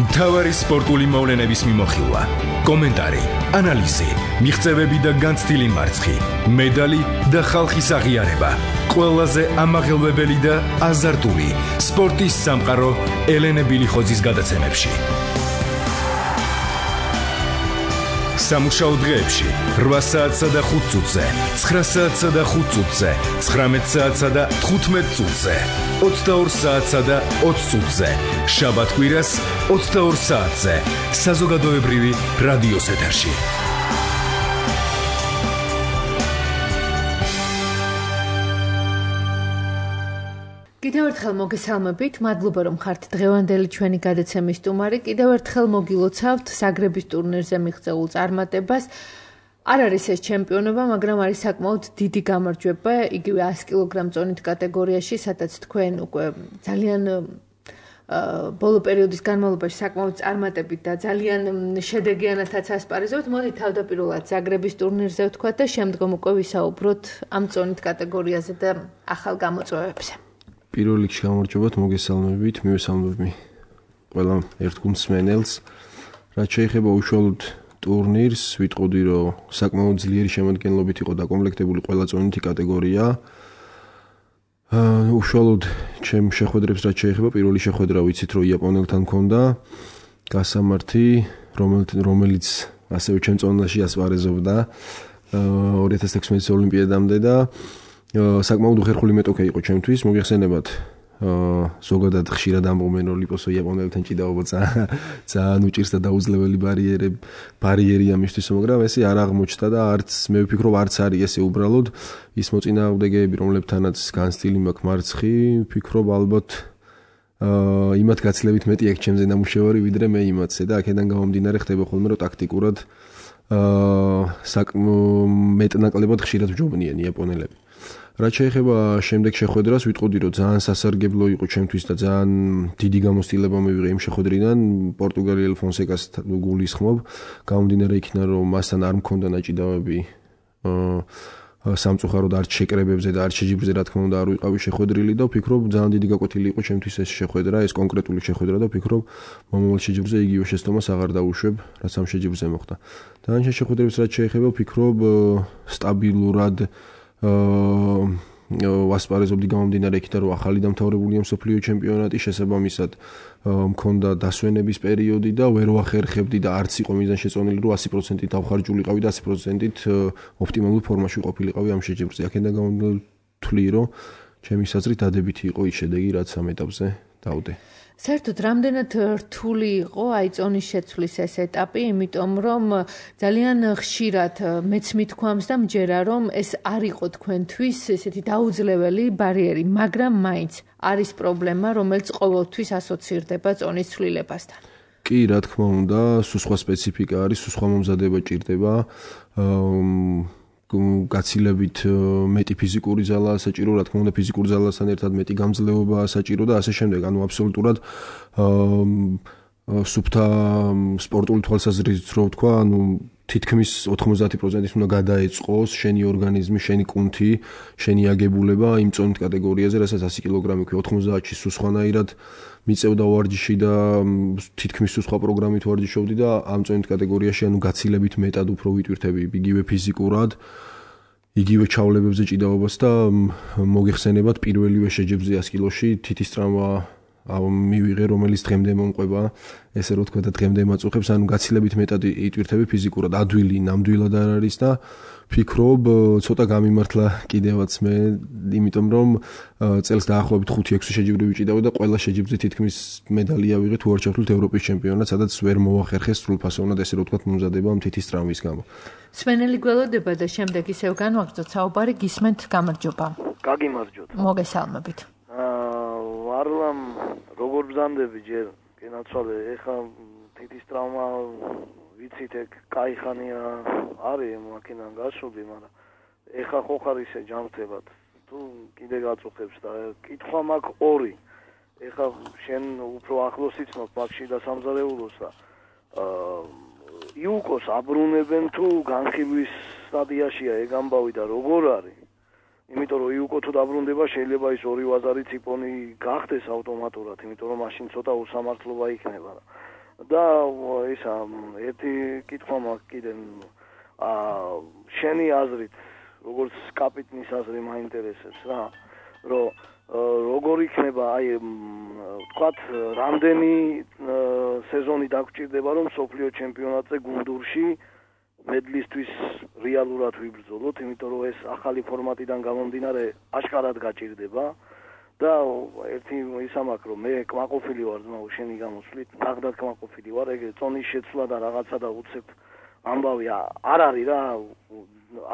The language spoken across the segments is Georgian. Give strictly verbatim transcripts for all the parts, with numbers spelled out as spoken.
მთავარი სპორტული მოვლენების მიმოხილვა, კომენტარი, ანალიზი, მიღწევები და განცდილი მარცხი, მედალი და ხალხის აღიარება. ყველაზე ამაღელვებელი და აზარტული სპორტის სამყარო ელენე ბილიხოძის გადაცემებში. სამუშაო დღეებში რვა საათსა და ხუთ წუთზე, ცხრა საათსა და ხუთ წუთზე, ცხრამეტ საათსა და თხუთმეტ წუთზე, ოცდაორ საათსა და ოცი წუთზე, შაბათ-კვირას ოცდაორ საათზე, საზოგადოებრივი რადიოს ეთერში. კიდევ ერთხელ მოგესალმებით, მადლობა რომ ხართ დღევანდელი ჩვენი გადაცემის სტუმარი. კიდევ ერთხელ მოგილოცავთ საგრების ტურნირზე მიღწეულ წარმატებას. არ არის ეს ჩემპიონობა, მაგრამ არის საკმაოდ დიდი გამარჯვება, იგივე ას კილოგრამ წონით კატეგორიაში, სადაც თქვენ უკვე ძალიან ბოლო პერიოდის განმავლობაში საკმაოდ წარმატებით და ძალიან შედეგიანათაც ასპარეზობთ. მოდით თავდაპირველად საგრების ტურნირზე ვთქვათ და შემდგომ უკვე ვისაუბროთ ამ წონით კატეგორიაზე და ახალ გამოწვევებზე. პირველ რიგში გამარჯვებათ, მოგესალმებით, მივესალმები ყველა ერთგულს მსმენელს. რაც შეეხება უშუალოდ ტურნირს, ვიტყოდი, რომ საკმაოდ ძლიერი შემადგენლობით იყო დაკომპლექტებული ყველა წონითი კატეგორია. აა უშუალოდ ჩემ შეხვედრებს რაც შეეხება, პირველი შეხვედრა ვიცით, რომ იაპონელთან მქონდა გასამართი, რომელიც ასევე ჩემ წონაში ასპარეზობდა ორი ათას ექვსმეტის ოლიმპიადამდე და საკმაოდ უხერხული მეტოქე იყო ჩემთვის, მოგეხსენებათ, ზოგადად ხშირად ამბობენ, რომ ლიპოსო იაპონელთან ჭიდაობა ძალიან უჭირს და დაუძლეველი ბარიერები ბარიერია მისთვის, მაგრამ ესე არ აღმოჩნდა და არც მე ვფიქრობ, არც არის ესე უბრალოდ ის მოწინააღმდეგეები, რომლებთანაც განცდილი მაქვს მარცხი, ვფიქრობ ალბათ იმათ გაცილებით მეტი აქვს ჩემზე ნამუშევარი, ვიდრე მე იმათზე და აქედან გამომდინარე ხდება ხოლმე, რომ ტაქტიკურად მეტნაკლებად ხშირად ვჯობნიან იაპონელები. რაც შეეხება შემდეგ შეხვედრას, ვიტყოდი, რომ ძალიან სასარგებლო იყო ჩემთვის და ძალიან დიდი გამოცდილება მივიღე იმ შეხვედრიდან. პორტუგალიელ ფონსეკას გულისხმობ, გამომდინარე იქიდან, რომ მასთან არ მქონდა ნაჭიდავები სამწუხაროდ არც შეკრებებზე და არც შეჯიბრზე, რა თქმა უნდა, არ ვიყავი შეხვედრილი და ვფიქრობ, ძალიან დიდი გაკვეთილი იყო ჩემთვის ეს შეხვედრა, ეს კონკრეტული შეხვედრა და ვფიქრობ, მომავალ შეჯიბრზე იგივე შეცდომას აღარ დავუშვებ, რაც ამ შეჯიბრზე მოხდა. დანარჩენ შეხვედრებს რაც შეეხება, ვფიქრობ, სტაბილურად ვასპარეზობდი გამომდინარე იქიდან, რომ ახალი დამთავრებულია მსოფლიო ჩემპიონატი, შესაბამისად მქონდა დასვენების პერიოდი და ვერ ვახერხებდი და არც იყო მიზანშეწონილი, რომ ასი პროცენტით დავხარჯულიყავი და ასი პროცენტით ოპტიმალურ ფორმაში ყოფილიყავი ამ შეჯიბრზე. აქედან გამომდინარე ვთვლი, რომ ჩემი საზრით დადებითი იყო ის შედეგი, რაც ამ ეტაპზე დავდე. საერთოდ რამდენად რთული იყო აი წონის შეცვლის ეს ეტაპი, იმიტომ რომ ძალიან ხშირად მეც მithქვამს და მჯერა, რომ ეს არ იყო თქვენთვის ესეთი დაუძლეველი ბარიერი, მაგრამ მაინც არის პრობლემა, რომელიც ყოველთვის ასოცირდება წონის ცვლილებასთან. კი, რა თქმა უნდა, სულ სხვა სპეციფიკა არის, სულ სხვა მომზადება ჭირდება. გაცილებით მეტი ფიზიკური ძალა საჭირო, რა თქმა უნდა, ფიზიკური ძალასთან ერთად მეტი გამძლეობა საჭირო და ასე შემდეგ. ანუ აბსოლუტურად სუფთა სპორტული თვალსაზრისით რო ვთქვა, ანუ თითქმის ოთხმოცდაათი პროცენტით უნდა გადაეწყოს შენი ორგანიზმი, შენი კუნთი, შენი აგებულება იმ წონით კატეგორიაზე, რასაც ასი კილოგრამი ქვია, ოთხმოცდაათში სულ სხვანაირად მიწევდა ვარჯიში და თითქმის სულ სხვა პროგრამით ვარჯიშობდი და ამ წონით კატეგორიაში ანუ გაცილებით მეტად უფრო ვიტვირთები იგივე ფიზიკურად, იგივე ჩავლებებზე ჭიდაობას და მოგეხსენებათ პირველივე შეჯიბრზე ას კილოში თითის ტრავმა მივიღე, რომელიც დღემდე მომყვება, ესე რო თქვა და დღემდე მაწუხებს, ანუ გაცილებით მეტად იტვირთები ფიზიკურად, ადვილი ნამდვილად არ არის და ვფიქრობ, ცოტა გამიმართლა კიდევაც მე, იმიტომ რომ წელს დაახლოებით ხუთი ექვსი შეჯიბრი ვიჭიდავდი და ყველა შეჯიბრზე თითქმის მედალი ავიღე თუ არ ჩავთვლით ევროპის ჩემპიონატს, სადაც ვერ მოვახერხეს სრულფასოვნად ესე რო თქვა მომზადება თითის ტრავმის გამო. სვენელი გველოდება და შემდეგ ისევ განვაგრძოთ საუბარი, გისმენთ გამარჯობა. გაგიმარჯოთ. მოგესალმებით. ვარლამ როგორ ბრძანდები ჯერ გენაცვალე, ეხა თითის ტრავმა ვიცით ეგ კაი ხანია არის მაქინან გასული, მაგრამ ეხა ხო ხარ ისე ჯანმრთელად თუ კიდე გაწუხებს და კითხვა მაქვს ორი. ეხა შენ უფრო ახლოს იცნობ ბაქში და სამზარეულოს და იუკოს აბრუნებენ თუ განხილვის სტადიაშია ეგ ამბავი და როგორ არის? იმიტომ რომ იუკო თუ დაბრუნდება შეიძლება ის ორი ვაზარი ციპონი გახდეს ავტომატურად, იმიტომ რომ მაშინ ცოტა უსამართლობა იქნება. და ისა ერთი კითხვა მაქვს კიდე აა შენი აზრით როგორც კაპიტნის აზრი მაინტერესებს რა რომ როგორ იქნება აი ვთქვათ რამდენი სეზონი დაგჭირდება რომ სოფლიო ჩემპიონატზე გუნდურში მედლისთვის რეალურად ვიბრძოლოთ იმიტომ რომ ეს ახალი ფორმატიდან გამომდინარე აშკარად გაჭირდება და ერთი ისა მაქვს რომ მე კმაყოფილი ვარ ძმაო შენი გამოსვლით ნახდათ კმაყოფილი ვარ ეგ წონის შეცვლა და რაღაცა და უცებ ამბავი არ არის რა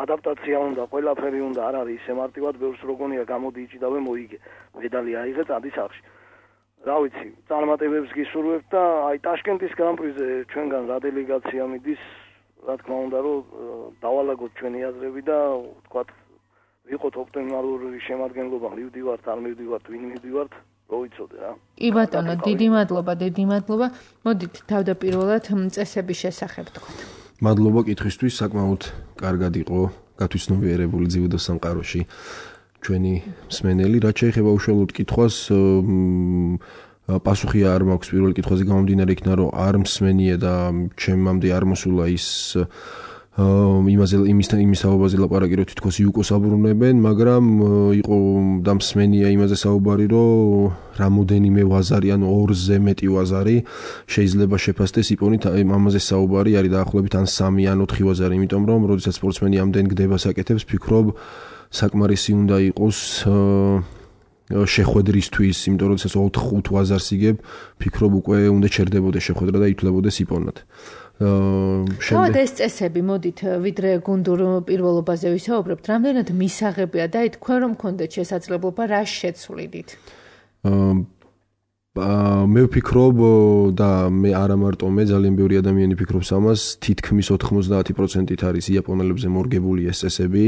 ადაპტაცია უნდა ყველაფერი უნდა არ არის ისე მარტივად ბევრს როგონია გამოდი იჭიდავე მოიგე მედალი აიღე წადი სახში რა ვიცი წარმატებებს გისურვებთ და აი ტაშკენტის გრან-პრიზე ჩვენგან რა დელეგაცია მიდის რა თქმა უნდა რომ დავალაგოთ ჩვენი აზრები და ვთქვათ ვიყოთ ოპტიმალური შემადგენლობა მივდივართ არ მივდივართ ვინ მივდივართ რო ვიცოდე რა კი ბატონო დიდი მადლობა დიდი მადლობა მოდით თავდაპირველად წესების შესახებ თქვათ მადლობა კითხვისთვის საკმაოდ კარგად იყო გათვითცნობიერებული ძიუდო სამყაროში ჩვენი მსმენელი რაც შეეხება უშუალოდ კითხვას პასუხი არ მაქვს პირველ კითხვაზე გამომდინარე იქნა რომ არ მსმენია და ჩემამდე არ მოსულა ის იმაზე იმისთან იმის საუბარზე ლაპარაკი რომ თითქოს იუკოს აბრუნებენ მაგრამ იყო და მსმენია იმაზე საუბარი რომ რამოდენიმე ვაზარი ან ორზე მეტი ვაზარი შეიძლება შეფასდეს იპონით ამაზე საუბარი არის დაახლოებით ან სამი ან ოთხი ვაზარი იმიტომ რომ როდესაც სპორტსმენი ამდენ გდება საკეთებს ფიქრობ საკმარისი უნდა იყოს შეხვედრისთვის, იმიტომ რომ ეს ოთხ ხუთ ვაზარს იგებ, ფიქრობ უკვე უნდა ჩერდებოდეს შეხვედრა და ითვლებოდეს იპოვნად. თავად ეს წესები, მოდით, ვიდრე გუნდურ პირველობაზე ვისაუბრებთ, რამდენად მისაღებია და თქვენ რომ გქონდეთ შესაძლებლობა რა შეცვლიდით? მე ვფიქრობ და მე არა მარტო მე, ძალიან ბევრი ადამიანი ფიქრობს ამას, თითქმის ოთხმოცდაათი პროცენტით არის იაპონელებზე მორგებული ეს წესები.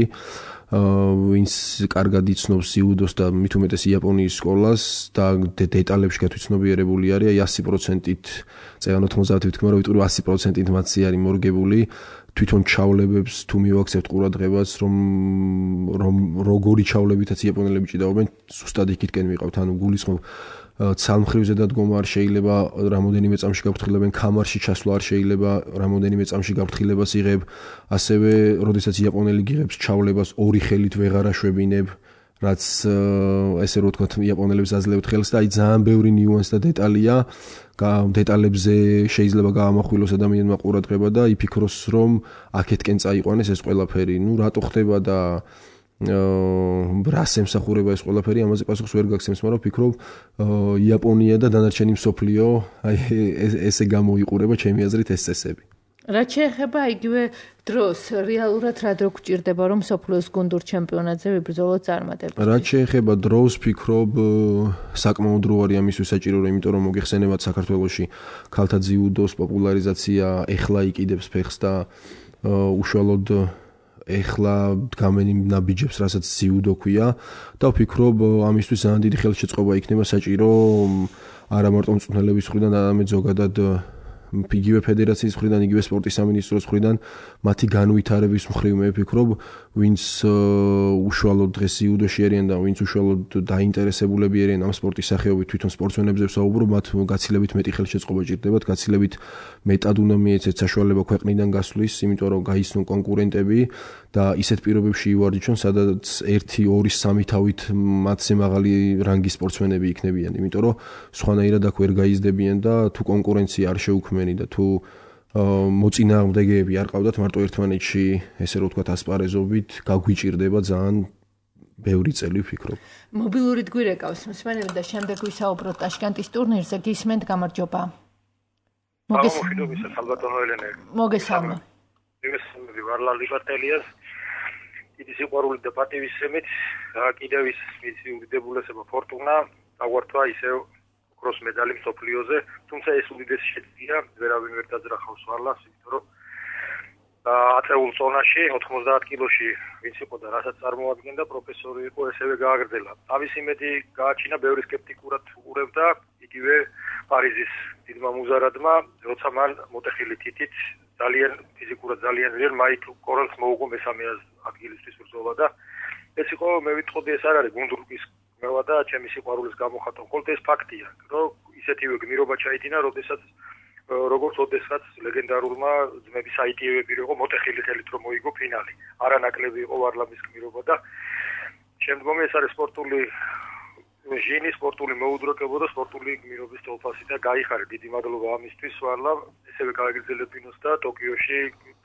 ვინც კარგად იცნობს იუდოს და მით უმეტეს იაპონიის სკოლას და დეტალებში გათვითცნობიერებული არის, აი ასი პროცენტით, წეგან ოთხმოცდაათი ვთქმა რომ ვიტყვი რომ ასი პროცენტით მათი არის მორგებული, თვითონ ჩავლებებს თუ მივაქცევთ ყურადღებას, რომ რომ როგორი ჩავლებითაც იაპონელები ჭიდაობენ, ზუსტად იქითკენ ვიყავთ, ანუ გულისხმობ ცალმხრივზე დადგომა არ შეიძლება, რამოდენიმე წამში გაფრთხილებენ, კამარში ჩასვლა არ შეიძლება, რამოდენიმე წამში გაფრთხილებას იღებ, ასევე, როდესაც იაპონელი გიღებს ჩავლებას, ორი ხელით ვეღარ აშვებინებ, რაც ესე რომ ვთქვათ, იაპონელებს აძლევთ ხელს და აი ძალიან ბევრი ნიუანსი და დეტალია, დეტალებზე შეიძლება გაამახვილოს ადამიანმა ყურადღება და იფიქროს, რომ აქეთკენ წაიყვანეს ეს ყველაფერი. ნუ რატო ხდება და რას ემსახურება ეს ყველაფერი, ამაზე პასუხს ვერ გაგცემს, მაგრამ ვფიქრობ, იაპონია და დანარჩენი მსოფლიო აი ესე გამოიყურება ჩემი აზრით ეს წესები. რაც შეეხება იგივე დროს, რეალურად რა დრო გჭირდება, რომ მსოფლიოს გუნდურ ჩემპიონატზე ვიბრძოლოთ წარმატებით? რაც შეეხება დროს, ვფიქრობ, საკმაოდ დრო არის ამისთვის საჭირო, იმიტომ რომ მოგეხსენებათ საქართველოში ქალთა ძიუდოს პოპულარიზაცია ეხლა იყიდებს ფეხს და უშუალოდ ეხლა დგამენ იმ ნაბიჯებს, რასაც ძიუდო ქვია და ვფიქრობ, ამისთვის ძალიან დიდი ხელშეწყობა იქნება საჭირო არა მარტო მწვრთნელების მხრიდან, არამედ ზოგადად იგივე ფედერაციის მხრიდან, იგივე სპორტის სამინისტროს მხრიდან მათი განვითარების მხრივ მე ვფიქრობ, ვინც უშუალოდ დღეს იუდოში არიან და ვინც უშუალოდ დაინტერესებულები არიან ამ სპორტის სახეობით, თვითონ სპორტსმენებზე ვსაუბრობ, მათ გაცილებით მეტი ხელშეწყობა ჭირდებათ, გაცილებით მეტად უნდა მიეცეთ საშუალება ქვეყნიდან გასვლის, იმიტომ რომ გაიცნონ კონკურენტები და ისეთ პირობებში ივარჯიშონ, სადაც ერთი, ორი, სამი თავით მათზე მაღალი რანგის სპორტსმენები იქნებიან, იმიტომ რომ სხვანაირად აქ ვერ გაიზრდებიან და თუ კონკურენცია არ შეუქმენი და თუ მოწინააღმდეგეები არ ყავდათ მარტო ერთმანეთში, ესე რომ ვთქვათ, ასპარეზობით, გაგვიჭირდება ძალიან ბევრი წელი ვფიქრობ. მობილურით გვირეკავს მსმენელი და შემდეგ ვისაუბროთ ტაშკენტის ტურნირზე, გისმენთ, გამარჯობა. მოგესალმებით, ალბათონო ელენე. მოგესალმა. მოგესალმებით, ვარლა ლიბატელიას. დიდი სიყვარული და პატივისცემით, კიდევ ის მისი უდიდებულესება ფორტუნა აღვართვა ისევ ოქროს მედალი მსოფლიოზე, თუმცა ეს უდიდესი შედეგია, ვერავინ ვერ დაძრახავს ვარლას, იმიტომ რომ ათეულ წონაში, ოთხმოცდაათ კილოში ვინც იყო და რასაც წარმოადგენდა, პროფესორი იყო, ესევე გააგრძელა. ამის იმედი გააჩინა, ბევრი სკეპტიკურად უყურებდა, იგივე პარიზის დიდმა მუზარადმა, როცა მან მოტეხილი თითით ძალიან ფიზიკურად ძალიან ძლიერ მაიკლ კორალს მოუგო მესამე ადგილისთვის ბრძოლა და ეს იყო, მე ვიტყოდი, ეს არ არის გუნდურკის მევა და ჩემი სიყვარულის გამოხატვა. მხოლოდ ეს ფაქტია, რომ ისეთივე გმირობა ჩაიდინა, როდესაც როგორც ოდესაც ლეგენდარულმა ძმების აიტიევები იყო მოტეხილი ხელით რომ მოიგო ფინალი. არანაკლები იყო ვარლამის გმირობა და შემდგომი ეს არის სპორტული ჟინი, სპორტული მოუდროკება და სპორტული გმირობის თვალსაზრისით და გაიხარე. დიდი მადლობა ამისთვის ვარლამ, ესევე გააგრძელებინოს და ტოკიოში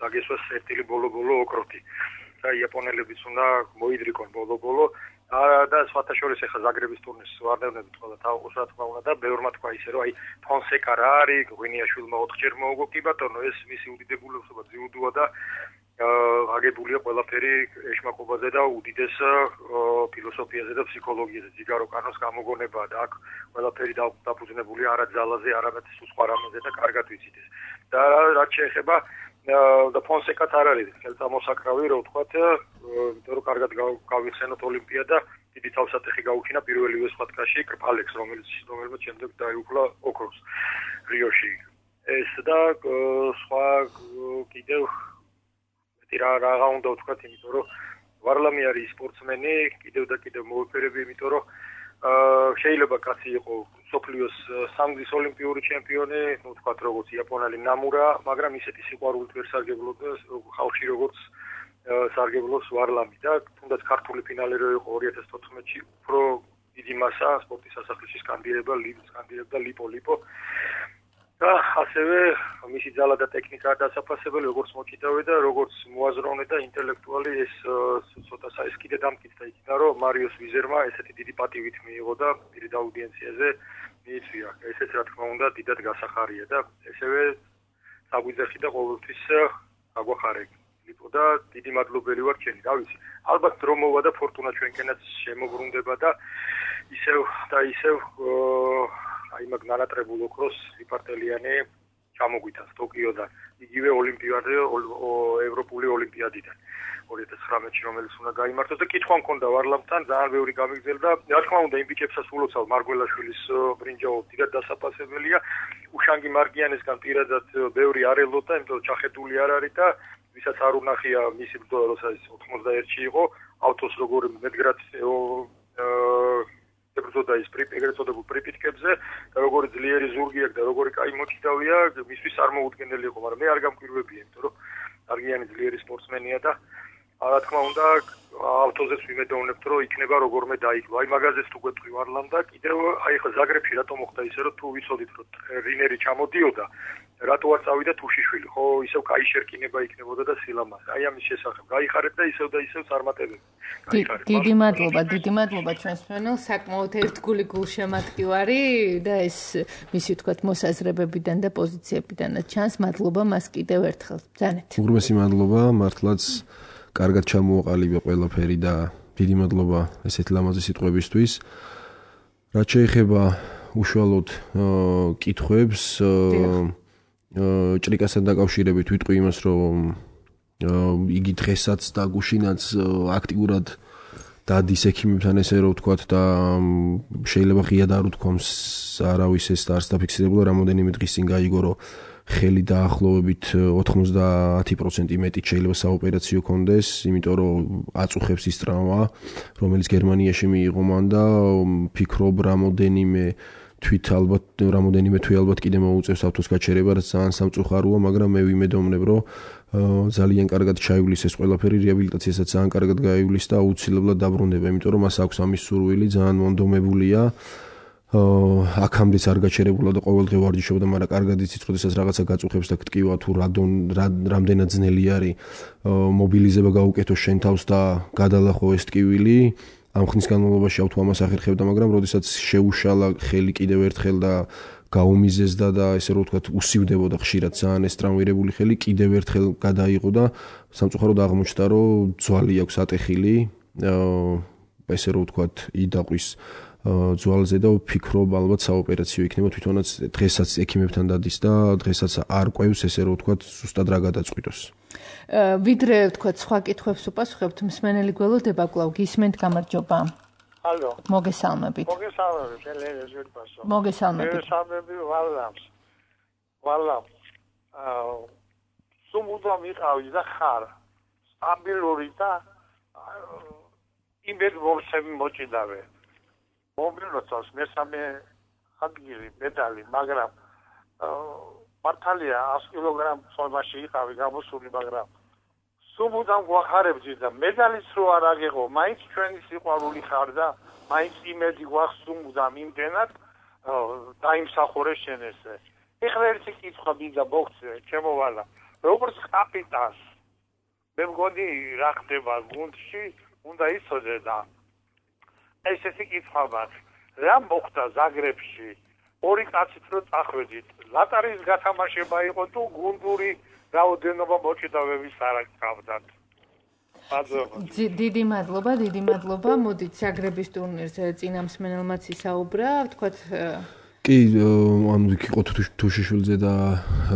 დაგესვას ერთილი ბოლო-ბოლო ოქროთი. და იაპონელებიც უნდა მოიდრიკონ ბოლო-ბოლო. და სხვათა შორის ახლა ზაგრების ტურნირს ვარდევნებით ყველა თავყოს რა თქმა უნდა და ბევრმა თქვა ისე რომ აი ფონსეკა რა არის, გვინიაშვილმა ოთხჯერ მოუგო კი ბატონო, ეს მისი უდიდებულება ძიუდოა და აგებულია ყველაფერი ეშმაკობაზე და უდიდეს ფილოსოფიაზე და ფსიქოლოგიაზე. ზიგარო კანოს გამოგონებაა და აქ ყველაფერი დაფუძნებულია არა ძალაზე, არამედ სხვა რამეზე და კარგად ვიცით ეს. და რაც შეეხება და ფონსეკაც არ არის ხელწამოსაკრავი, რო ვთქვათ, იმიტომ რომ კარგად გავიხსენოთ ოლიმპიადა, დიდი თავსატეხი გაუჩინა პირველივე სხვათკაში კრპალექს, რომელიც რომელმაც შემდეგ დაიუფლა ოქროს რიოში. ეს და სხვა კიდევ მეტი რა რაღა უნდა ვთქვათ, იმიტომ რომ ვარლამი არის სპორტსმენი, კიდევ და კიდევ მოეფერები, იმიტომ რომ შეიძლება კაცი იყო სოფლიოს სამგზის ოლიმპიური ჩემპიონი, ну ვთქვათ როგორც იაპონელი ნამურა, მაგრამ ისეთი სიყვარულით ვერ სარგებლობდა ხალხში როგორც სარგებლობს ვარლამი და თუნდაც ქართული ფინალი რო იყო ორი ათას თოთხმეტში, უფრო დიდი მასა სპორტის სასახლეში სკანდირება, სკანდირებდა ლიპო ლიპო. და ასევე მისი ძალა და ტექნიკა დასაფასებელი, როგორც მოჭიდავე და როგორც მოაზროვნე და ინტელექტუალი ეს ცოტა ეს კიდე დამტკიცდა იქნა, რომ მარიოს ვიზერმა ესეთი დიდი პატივით მიიღო და პირით აუდიენციაზე მიიწვია. ესეც რა თქმა უნდა დიდად გასახარია და ესევე საგვიძახი და ყოველთვის აგვახარე. ლიპო და დიდი მადლობელი ვარ ჩემი, რა ვიცი. ალბათ დრო მოვა და ფორტუნა ჩვენკენაც შემოbrunდება და ისევ და ისევ აი მაგ ნანატრებულ ოქროს ვიპარტელიანი ჩამოგვიტანს ტოკიოდან, იგივე ოლიმპიადაზე, ევროპული ოლიმპიადიდან ორი ათას ცხრამეტში, რომელიც უნდა გაიმართოს და კითხვა მქონდა ვარლამთან, ძალიან ბევრი გამიგზელდა. რა თქმა უნდა, იმ ბიჭებსაც ულოცავ მარგველაშვილის ბრინჯაო დიდად დასაფასებელია. უშანგი მარგიანესგან პირადად ბევრი არ ელოდა, იმიტომ რომ ჩახედული არ არის და ვისაც არ უნახია მისი ბრძოლა, როცა ის ოთხმოცდაერთში იყო, ავტოს როგორ მედგრად ებრძოდა ის ეგრეთ წოდებულ პრიპიტკებზე და როგორი ძლიერი ზურგი აქვს და როგორი კაი მოჭიდავია, მისთვის არ მოუდგენელი იყო, მაგრამ მე არ გამკვირვებია, იმიტომ რომ არგიანი ძლიერი სპორტსმენია და რა თქმა უნდა ავტოზეც ვიმედოვნებთ, რომ იქნება როგორმე დაიკლო. აი მაგაზეც თუ გვეტყვი ვარლამ და კიდევ აი ხა ზაგრებში რატომ მოხდა ისე, რომ თუ ვიცოდით, რომ რინერი ჩამოდიოდა, რატო არ წავიდა თუშიშვილი, ხო, ისევ კაი შერკინება იქნებოდა და სილამაზე. აი ამის შესახებ გაიხარეთ და ისევ და ისევ წარმატებები. გაიხარეთ. დიდი მადლობა, დიდი მადლობა ჩვენს მფრენელს, საკმაოდ ერთგული გულშემატკივარი და ეს მისი ვთქვათ მოსაზრებებიდან და პოზიციებიდანაც ჩანს. მადლობა მას კიდევ ერთხელ. ბრძანეთ. უღრმესი მადლობა, მართლაც კარგად ჩამოაყალიბა ყველაფერი და დიდი მადლობა ესეთ ლამაზი სიტყვებისთვის. რაც შეეხება უშუალოდ კითხვებს, ჭრიკასთან დაკავშირებით ვიტყვი იმას, რომ იგი დღესაც და გუშინაც აქტიურად დადის ექიმებთან ესე რომ ვთქვათ და შეიძლება ღიად არ უთქვამს არავის ეს არც დაფიქსირებულა, რამოდენიმე დღის წინ გაიგო, რომ ხელი დაახლოებით ოთხმოცდაათი პროცენტი მეტით შეიძლება საოპერაციო კონდეს, იმიტომ რომ აწუხებს ის ტრავმა, რომელიც გერმანიაში მიიღო მან და ფიქრობ რამოდენიმე თვით ალბათ რამოდენიმე თვე ალბათ კიდე მოუწევს ავტოს გაჩერება, რაც ძალიან სამწუხაროა, მაგრამ მე ვიმედოვნებ, რომ ძალიან კარგად ჩაივლის ეს ყველაფერი, რეაბილიტაციასაც ძალიან კარგად გაივლის და აუცილებლად დაბრუნდება, იმიტომ რომ მას აქვს ამის სურვილი, ძალიან მონდომებულია. აქამდეც არ გაჩერებულა და ყოველდღე ვარჯიშობდა, მაგრამ კარგად იცით, როდესაც რაღაცა გაწუხებს და გტკივა თუ რამდენად ძნელი არის მობილიზება გაუკეთოს შენ თავს და გადალახო ეს ტკივილი. ამ ხნის განმავლობაში ავთო ამას ახერხებდა, მაგრამ როდესაც შეუშალა ხელი კიდევ ერთხელ და გაუმიზესდა და ესე რომ ვთქვათ უსივდებოდა ხშირად ძალიან ეს ტრამვირებული ხელი, კიდევ ერთხელ გადაიღო და სამწუხაროდ აღმოჩნდა, რომ ძვალი აქვს ატეხილი, ესე რომ ვთქვათ იდაყვის ძვალზე და ვფიქრობ ალბათ საოპერაციო იქნება, თვითონაც დღესაც ექიმებთან დადის და დღესაც არ ყვევს, ესე რომ ვთქვათ ზუსტად რა გადაწყვიტოს. ვიდრე ვთქვათ სხვა კითხვებს უპასუხებთ, მსმენელი გველოდება კვლავ გისმენთ, გამარჯობა. ალო. მოგესალმებით. მოგესალმებით, ელენე ზურბასო. მოგესალმებით. მოგესალმებით ვალამს. ვალამ. აა სუმუდამ იყავი და ხარ. სტაბილური და იმედ მომსემი მოჭიდავე. მომბილოცავს მესამე ადგილი, მედალი, მაგრამ მართალია ას კილოგრამ წონაში იყავი გამოსული, მაგრამ სულ მუდამ გვახარებდი და მედალიც რო არ აგეღო, მაინც ჩვენი სიყვარული ხარ და მაინც იმედი გვაქვს სულ მუდამ იმდენად დაიმსახურე შენ ესე. ეხლა ერთი კითხვა მინდა მოგცე, ჩემო ვალა. როგორც კაპიტანს მე მგონი რა ხდება გუნდში, უნდა იცოდე და ესეთი კითხვა მაქვს. რა მოხდა ზაგრებში? ორი კაცით რო წახვედით, ლატარის გათამაშება იყო თუ გუნდური რაოდენობა მოჭიდავების არ გქავდათ? დიდი მადლობა, დიდი მადლობა. მოდით ზაგრების ტურნირზე წინამსმენელმაც ისაუბრა, ვთქვათ კი, ანუ იქ იყო თუშიშვილზე და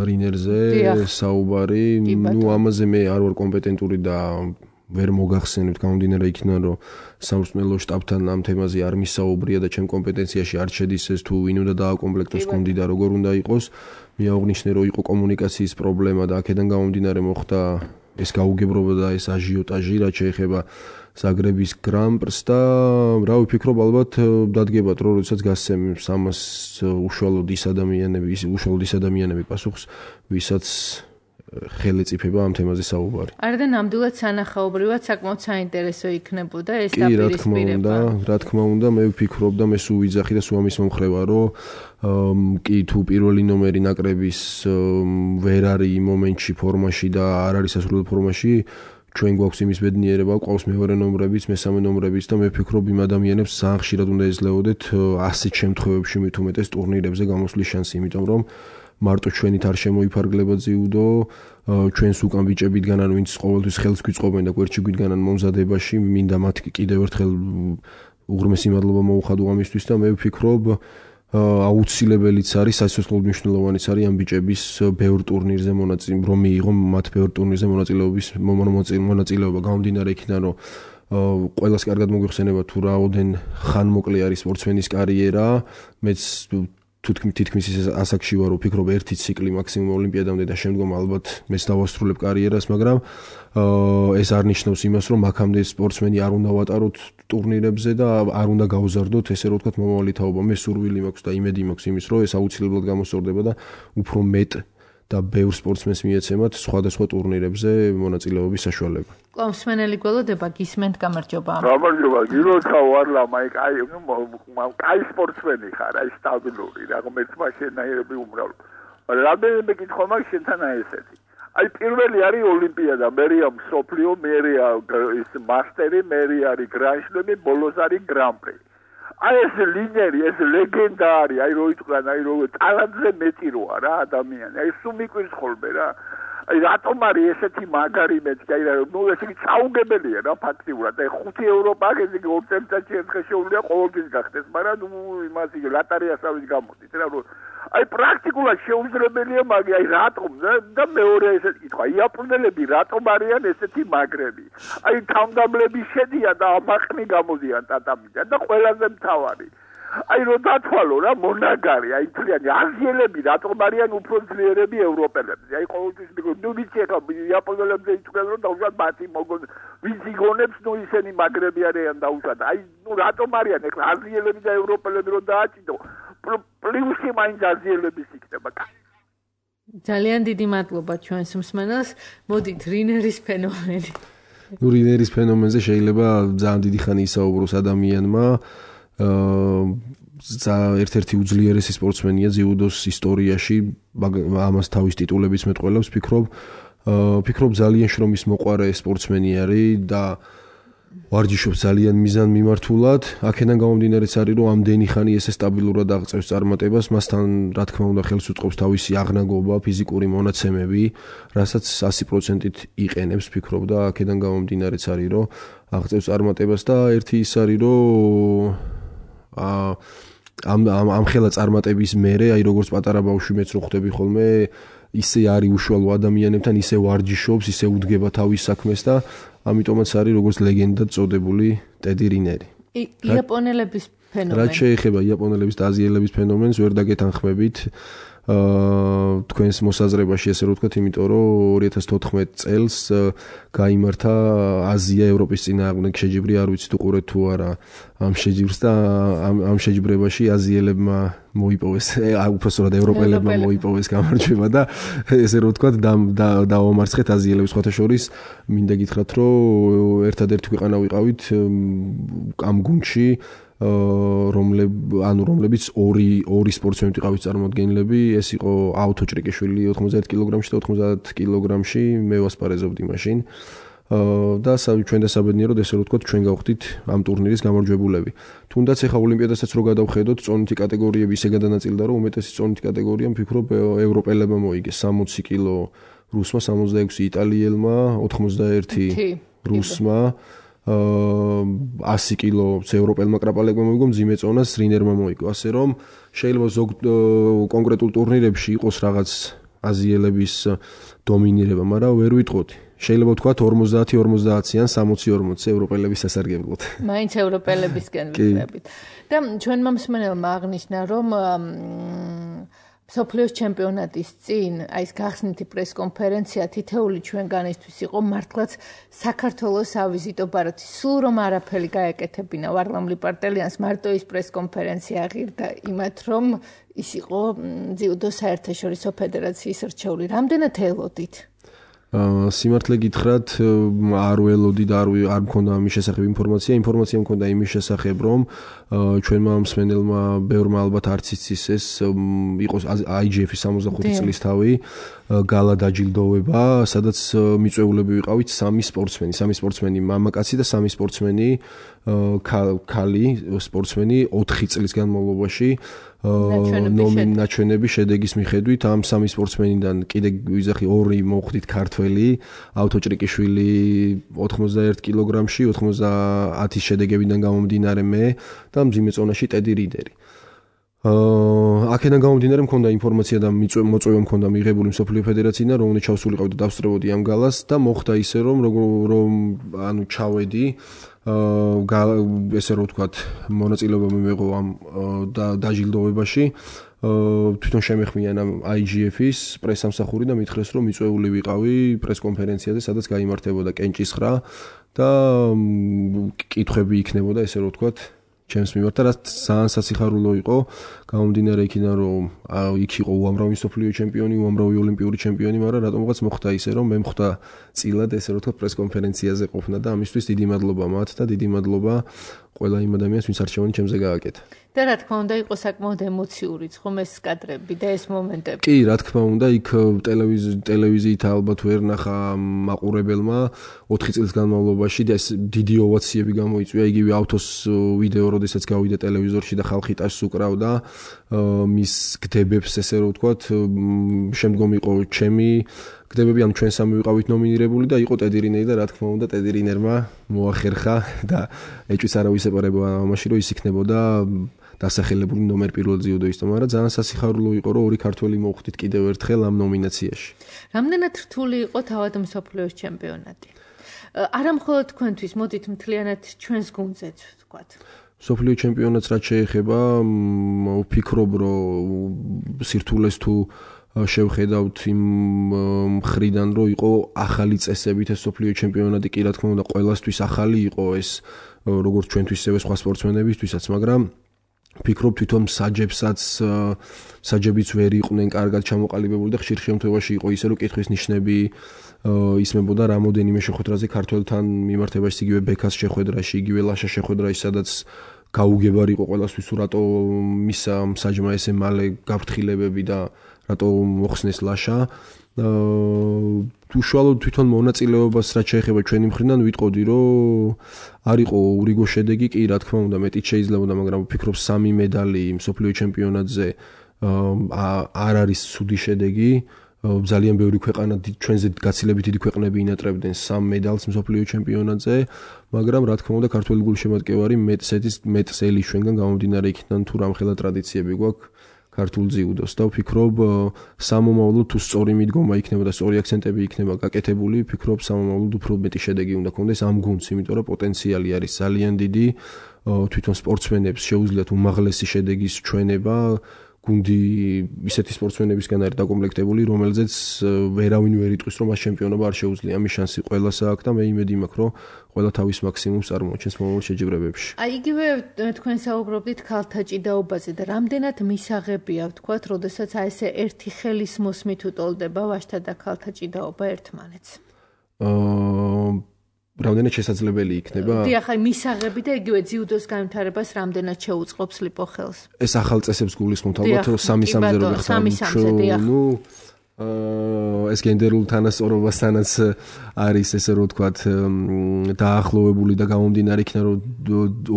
რინერზე საუბარი. ნუ ამაზე მე არ ვარ კომპეტენტური და ვერ მოგახსენებთ, გამომდინარე იქიდან, რომ სამწვრთნელო შტაბთან ამ თემაზე არ მისაუბრია და ჩემ კომპეტენციაში არ შედის ეს თუ ვინ უნდა დააკომპლექტოს გუნდი და როგორ უნდა იყოს. მე აღნიშნე, რომ იყო კომუნიკაციის პრობლემა და აქედან გამომდინარე მოხდა ეს გაუგებრობა და ეს აჟიოტაჟი, რაც შეეხება ზაგრების გრან-პრს და რა ვიფიქრობ, ალბათ დადგებათ, რომ როდესაც გასცემს ამას უშუალოდ ის ადამიანები, ის უშუალოდ ის ადამიანები პასუხს, ვისაც ხელი წიფება ამ თემაზე საუბარი. არა და ნამდვილად სანახაობრივად საკმაოდ საინტერესო იქნებოდა ეს დაპირისპირება. კი, რა თქმა უნდა, რა თქმა უნდა, მე ვფიქრობ და მე სულ ვიძახი და სულ ამის მომხრევა, რომ კი თუ პირველი ნომერი ნაკრების ვერ არის იმ მომენტში ფორმაში და არ არის სასურველ ფორმაში, ჩვენ გვაქვს იმის ბედნიერება, ყავს მეორე ნომრებიც, მესამე ნომრებიც და მე ვფიქრობ იმ ადამიანებს ძალიან ხშირად უნდა ეძლეოდეთ ასეთ შემთხვევებში მით უმეტეს ტურნირებზე გამოსვლის შანსი, იმიტომ რომ მარტო ჩვენით არ შემოიფარგლება ძიუდო, ჩვენს უკან ბიჭებიდან ან ვინც ყოველთვის ხელს გვიწყობენ და გვერდში გვიდგანან მომზადებაში, მინდა მათ კიდევ ერთხელ უღრმესი მადლობა მოუხადო ამისთვის და მე ვფიქრობ აუცილებელიც არის, სასიცოცხლოდ მნიშვნელოვანიც არის ამ ბიჭების ბევრ ტურნირზე მონაწილე, რომ მიიღო მათ ბევრ ტურნირზე მონაწილეობის მონაწილეობა, გამომდინარე იქიდან, რომ ყველას კარგად მოგვიხსენება თუ რაოდენ ხანმოკლე არის სპორტსმენის კარიერა, მეც თითქმის ის ასაკში ვარ, რომ ვფიქრობ ერთი ციკლი მაქსიმუმ ოლიმპიადამდე და შემდგომ ალბათ მეც დავასრულებ კარიერას, მაგრამ ეს არ ნიშნავს იმას, რომ აქამდე სპორტსმენი არ უნდა ვატაროთ ტურნირებზე და არ უნდა გავზარდოთ, ესე რომ ვთქვათ, მომავალი თაობა. მე სურვილი მაქვს და იმედი მაქვს იმის, რომ ეს აუცილებლად გამოსწორდება და უფრო მეტ და ბევრ სპორტსმენს მიეცემათ სხვადასხვა ტურნირებზე მონაწილეობის საშუალება. კлаუსმენელი გველოდება გისმენთ, გამარჯობა. გამარჯობა, გილოცავ ვარლამ, აი კაი, კაი სპორტსმენი ხარ, აი სტაბილური, რაღაც მაშინაირები უმრავ. რამდენიმე კითხვა მაქვს შენთან აი ესეთი. აი პირველი არის ოლიმპიადა, მერია მსოფლიო, მერია ის მასტერი, მერია არის გრანშლემი, ბოლოს არის გრან-პრი. აი ეს ლიდერი, ეს ლეგენდა არის, აი რო იტყვიან, აი რო ტალანტზე მეტი როა რა ადამიანი. აი სულ მიკვირს ხოლმე რა. აი რატომ არის ესეთი მაგარი მეთქი, აი ნუ ეს იგი საუგებელია რა ფაქტიურად. აი ხუთი ევროპა, ეს იგი ორ წელიწადში ერთხელ შეუძლია ყოველთვის გახდეს, მაგრამ ნუ იმას იგი ლატარიასავით გამოდის რა რო აი პრაქტიკულად შეუძლებელია მაგი, აი რატომ და მეორე ესეთი კითხვა, იაპონელები რატომ არიან ესეთი მაგრები? აი თავმდაბლები შედიან და ამაყნი გამოდიან ტატამიდან და ყველაზე მთავარი აი რო დათვალო რა მონაგარი, აი თლიანი აზიელები რატომ არიან უფრო ძლიერები ევროპელებზე? აი ყოველთვის მიგონი, ნუ ვიცი ახლა იაპონელებზე იტყვიან რომ დაუშვათ მათი მოგონ ვინც იგონებს, ნუ ისინი მაგრები არიან დაუშვათ. აი ნუ რატომ არიან ახლა აზიელები და ევროპელები რო დააჭიდო? პლუსი მაინც აზიელების იქნება. ძალიან დიდი მადლობა ჩვენს მსმენელს. მოდით რინერის ფენომენი. ნუ რინერის ფენომენზე შეიძლება ძალიან დიდი ხანი ისაუბროს ადამიანმა. აა ერთ-ერთი უძლიერესი სპორტსმენია ძიუდოს ისტორიაში, ამას თავის ტიტულებიც მეტყველებს, ფიქრობ, ფიქრობ ძალიან შრომის მოყვარე სპორტსმენი არის და ვარჯიშობს ძალიან მიზანმიმართულად. აქედან გამომდინარეც არის, რომ ამდენი ხანი ესე სტაბილურად აღწევს წარმატებას, მასთან რა თქმა უნდა ხელს უწყობს თავისი აღნაგობა, ფიზიკური მონაცემები, რასაც ასი პროცენტით იყენებს, ფიქრობ და აქედან გამომდინარეც არის, რომ აღწევს წარმატებას და ერთი ის არის, რომ ამ ამ ამ ხელა წარმატების მერე, აი როგორც პატარა ბავშვი მეც რო ხვდები ხოლმე, ისე არის უშუალო ადამიანებთან, ისე ვარჯიშობს, ისე უდგება თავის საქმეს და ამიტომაც არის როგორც ლეგენდად წოდებული ტედი რინერი. იაპონელების ფენომენი. რაც შეეხება იაპონელების და აზიელების ფენომენს, ვერ დაგეთანხმებით. აა თქვენს მოსაზრებაში ესე რომ ვთქვათ, იმიტომ რომ ორი ათას თოთხმეტ წელს გაიმართა აზია ევროპის წინააღმდეგ შეჯიბრი, არ ვიცით უყურეთ თუ არა ამ შეჯიბრს და ამ ამ შეჯიბრებაში აზიელებმა მოიპოვეს, უпростоრად ევროპელებმა მოიპოვეს გამარჯვება და ესე რომ ვთქვათ დაამარცხეთ აზიელებს. სხვათა შორის მინდა გითხრათ, რომ ერთადერთი ქვეყანა ვიყავით ამ გუნდში, რომლებ ანუ რომლებიც ორი ორი სპორტსმენი ვიყავით წარმოადგენლები, ეს იყო აუთო ჭრიკიშვილი ოთხმოცდაერთი კილოგრამში და ოთხმოცდაათ კილოგრამში, მე ვასპარეზობდი მაშინ. და ჩვენ და საბედნიეროდ ესე რომ ვთქვათ, ჩვენ გავხდით ამ ტურნირის გამარჯვებულები. თუნდაც ეხა ოლიმპიადასაც რო გადავხედოთ, წონითი კატეგორიები ისე გადანაწილდა, რომ უმეტესი წონითი კატეგორია მფიქრობ ევროპელებმა მოიგეს. სამოცი კილო რუსმა, სამოცდაექვსი იტალიელმა, ოთხმოცდაერთი რუსმა, ასი კილო ევროპელმა კრაპალებმა მოიგო, მძიმე წონას რინერმა მოიგო. ასე რომ შეიძლება ზოგ კონკრეტულ ტურნირებში იყოს რაღაც აზიელების დომინირება, მაგრამ ვერ ვიტყოდი. შეიძლება ვთქვათ ორმოცდაათი ორმოცდაათი ან სამოცი ორმოცი ევროპელების სასარგებლოდ. მაინც ევროპელებისკენ ვიყრებით. და ჩვენმა მსმენელმა აღნიშნა, რომ მსოფლიოს ჩემპიონატის წინ აი ეს გახსნითი პრესკონფერენცია თითეული ჩვენგანისთვის იყო მართლაც საქართველოს ავიზიტო ბარათი. სულ რომ არაფერი გაეკეთებინა ვარლამ ლიპარტელიანს, მარტო ის პრესკონფერენცია ღირდა იმათ, რომ ის იყო ძიუდო საერთაშორისო ფედერაციის რჩეული. რამდენად ელოდით? სიმართლე გითხრათ, არ ველოდი და არ არ მქონდა ამის შესახებ ინფორმაცია. ინფორმაცია მქონდა იმის შესახებ, რომ ჩვენმა მსმენელმა ბევრმა ალბათ არც იცის ეს იყოს აი ჯი ეფ-ის სამოცდახუთი წლის თავი, გალა დაჯილდოვება, სადაც მიწვეულები ვიყავით სამი სპორტსმენი, სამი სპორტსმენი მამაკაცი და სამი სპორტსმენი ქალი სპორტსმენი ოთხი წლის განმავლობაში ნაჩვენები შედეგის მიხედვით ამ სამი სპორტსმენიდან კიდე ვიზახი ორი მოხვდით ქართველი, აუთო ჭრიკიშვილი ოთხმოცდაერთ კილოგრამში, ოცდაათის შედეგებიდან გამომდინარე მე და მძიმე წონაში ტედი რიდერი. აა აქედან გამომდინარე მქონდა ინფორმაცია და მოწვევა მქონდა მიღებული მსოფლიო ფედერაციიდან, რომ უნდა ჩავსულიყავ და დავსწრებოდი ამ გალას და მოხდა ისე რომ რომ ანუ ჩავედი აა ესე რომ ვთქვათ, მონაწილეობა მიმეღო ამ დაჯილდოვებაში. თვითონ შემეხმიან ამ აი ჯი ეფ-ის პრესამსახური და მითხრეს, რომ მიწვეული ვიყავი პრესკონფერენციაზე, სადაც გაიმართებოდა კენჭისხრა და კითხვები იქნებოდა, ესე რომ ვთქვათ, ჩემს მიმართ, რაც ძალიან სასიხარულო იყო, გამომდინარე იქიდან, რომ იქ იყო უამრავი მსოფლიო ჩემპიონი, უამრავი ოლიმპიური ჩემპიონი, მაგრამ რატომღაც მოხდა ისე, რომ მე მხდა წილად, ესე რომ ვთქვათ, პრესკონფერენციაზე ყოფნა და ამისთვის დიდი მადლობა მათ და დიდი მადლობა ყველა იმ ადამიანს, ვინც არჩევანი ჩემზე გააკეთა. და რა თქმა უნდა, იყო საკმაოდ ემოციური ხომ ეს კადრები და ეს მომენტები. კი, რა თქმა უნდა, იქ ტელევიზიით ალბათ ვერ ნახა მაყურებელმა ოთხი წლის განმავლობაში და ეს დიდი ოვაციები გამოიწვია, იგივე ავთოს ვიდეო, როდესაც გავიდა ტელევიზორში და ხალხი ტაშს უკრავდა მის გდებებს, ესე რომ ვთქვათ, შემდგომ იყო ჩემი გდებები, ან ჩვენ სამი ვიყავით ნომინირებული და იყო ტედი რინერი და რა თქმა უნდა, ტედი რინერმა მოახერხა და ეჭვიც არავის ეპარებოდა ამაში, რომ ის იქნებოდა დასახელებული ნომერ პირველ ძიუდოისტო, მაგრამ ძალიან სასიხარულო იყო, რომ ორი ქართველი მოხვდით კიდევ ერთხელ ამ ნომინაციაში. რამდენად რთული იყო თავად მსოფლიოს ჩემპიონატი? არა მხოლოდ თქვენთვის, მოდით მთლიანად ჩვენს გუნდზეც ვთქვათ. მსოფლიო ჩემპიონატს რაც შეეხება, ვფიქრობ, რომ სირთულეს თუ შევხედავთ იმ მხრიდან, რომ იყო ახალი წესებით ეს მსოფლიო ჩემპიონატი, კი რა თქმა უნდა, ყველასთვის ახალი იყო ეს, როგორც ჩვენთვის, ისევე სხვა სპორტსმენებისთვისაც, მაგრამ ვფიქრობ თვითონ საჯებსაც საჯებიც ვერ იყვნენ კარგად ჩამოყალიბებული და ხშირ შემთხვევაში იყო ისე, რომ კითხვის ნიშნები ისმებოდა რამოდენიმე შეხვედრაზე ქართველთან მიმართებაში, იგივე ბექას შეხვედრაში, იგივე ლაშა შეხვედრაში, სადაც გაუგებარი იყო ყველასთვის, თუ რატო მისა საჯმა ესე მალე გაფრთხილებები და რატო მოხსნეს ლაშა. უშუალოდ თვითონ მონაწილეობას რაც შეეხება ჩვენი მხრიდან ვიტყოდი, რომ არ იყო ურიგო შედეგი, კი რა თქმა უნდა მეტიც შეიძლებოდა, მაგრამ ვფიქრობ სამი медали მსოფლიო ჩემპიონატზე არ არის ცუდი შედეგი. ძალიან ბევრი ქვეყანა ჩვენზე გაცილებით დიდი ქვეყნები ინატრებდნენ სამ медалს მსოფლიო ჩემპიონატზე, მაგრამ რა თქმა უნდა ქართული გულშემატკივარი მეტსეთის მეტსელი ჩვენგან გამომდინარე იქიდან თუ რამხელა ტრადიციები გვაქვს ქართულ ძიუდოს და ვფიქრობ სამომავლოდ თუ სწორი მიდგომა იქნება და სწორი აქცენტები იქნება გაკეთებული, ვფიქრობ სამომავლოდ უფრო მეტი შედეგი უნდა კონდეს ამ გუნდს, იმიტომ რომ პოტენციალი არის ძალიან დიდი, თვითონ სპორტსმენებს შეუძლიათ უმაღლესი შედეგის ჩვენება, გუნდი ისეთი სპორტსმენებისგან არის დაკომპლექტებული, რომელზეც ვერავინ ვერ იტყვის, რომ მას ჩემპიონობა არ შეუძლია. ამის შანსი ყველას აქვს და მე იმედი მაქვს, რომ ყველა თავის მაქსიმუმს წარმოაჩენს მომავალ შეჯიბრებებში. აი იგივე თქვენ საუბრობდით ქალთა ჭიდაობაზე და რამდენად მისაღებია ვთქვათ, როდესაც აი ესე ერთი ხელის მოსმით უტოლდება ვაჟთა და ქალთა ჭიდაობა ერთმანეთს. აა რამდენად შესაძლებელი იქნება? დიახ, აი მისაღები და იგივე ძიუდოს განვითარებას რამდენად შეუწყობს ლიპო ხელს. ეს ახალ წესებს გულისხმობთ ალბათ, რომ სამი სამზე რო ხარ. ნუ აა ეს გენდერულ თანასწორობასთანაც არის ესე რომ ვთქვათ დაახლოვებული და გამომდინარე იქნა რომ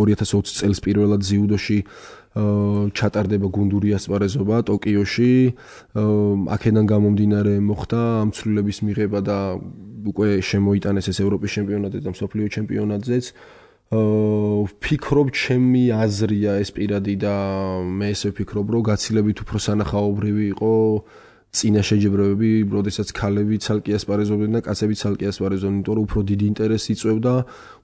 ორი ათას ოცი წელს პირველად ძიუდოში ჩატარდება გუნდური ასპარეზობა ტოკიოში. აქედან გამომდინარე მოხდა ამ ცვლილების მიღება და უკვე შემოიტანეს ეს ევროპის ჩემპიონატზე და მსოფლიო ჩემპიონატზეც. ვფიქრობ, ჩემი აზრია ეს პირადი და მე ესე ვფიქრობ, რომ გაცილებით უფრო სანახაობრივი იყო წინა შეჯიბრებები, როდესაც ქალები ცალკე ასპარეზობდნენ და კაცები ცალკე ასპარეზობდნენ, იმიტომ რომ უფრო დიდი ინტერესი იწვევდა,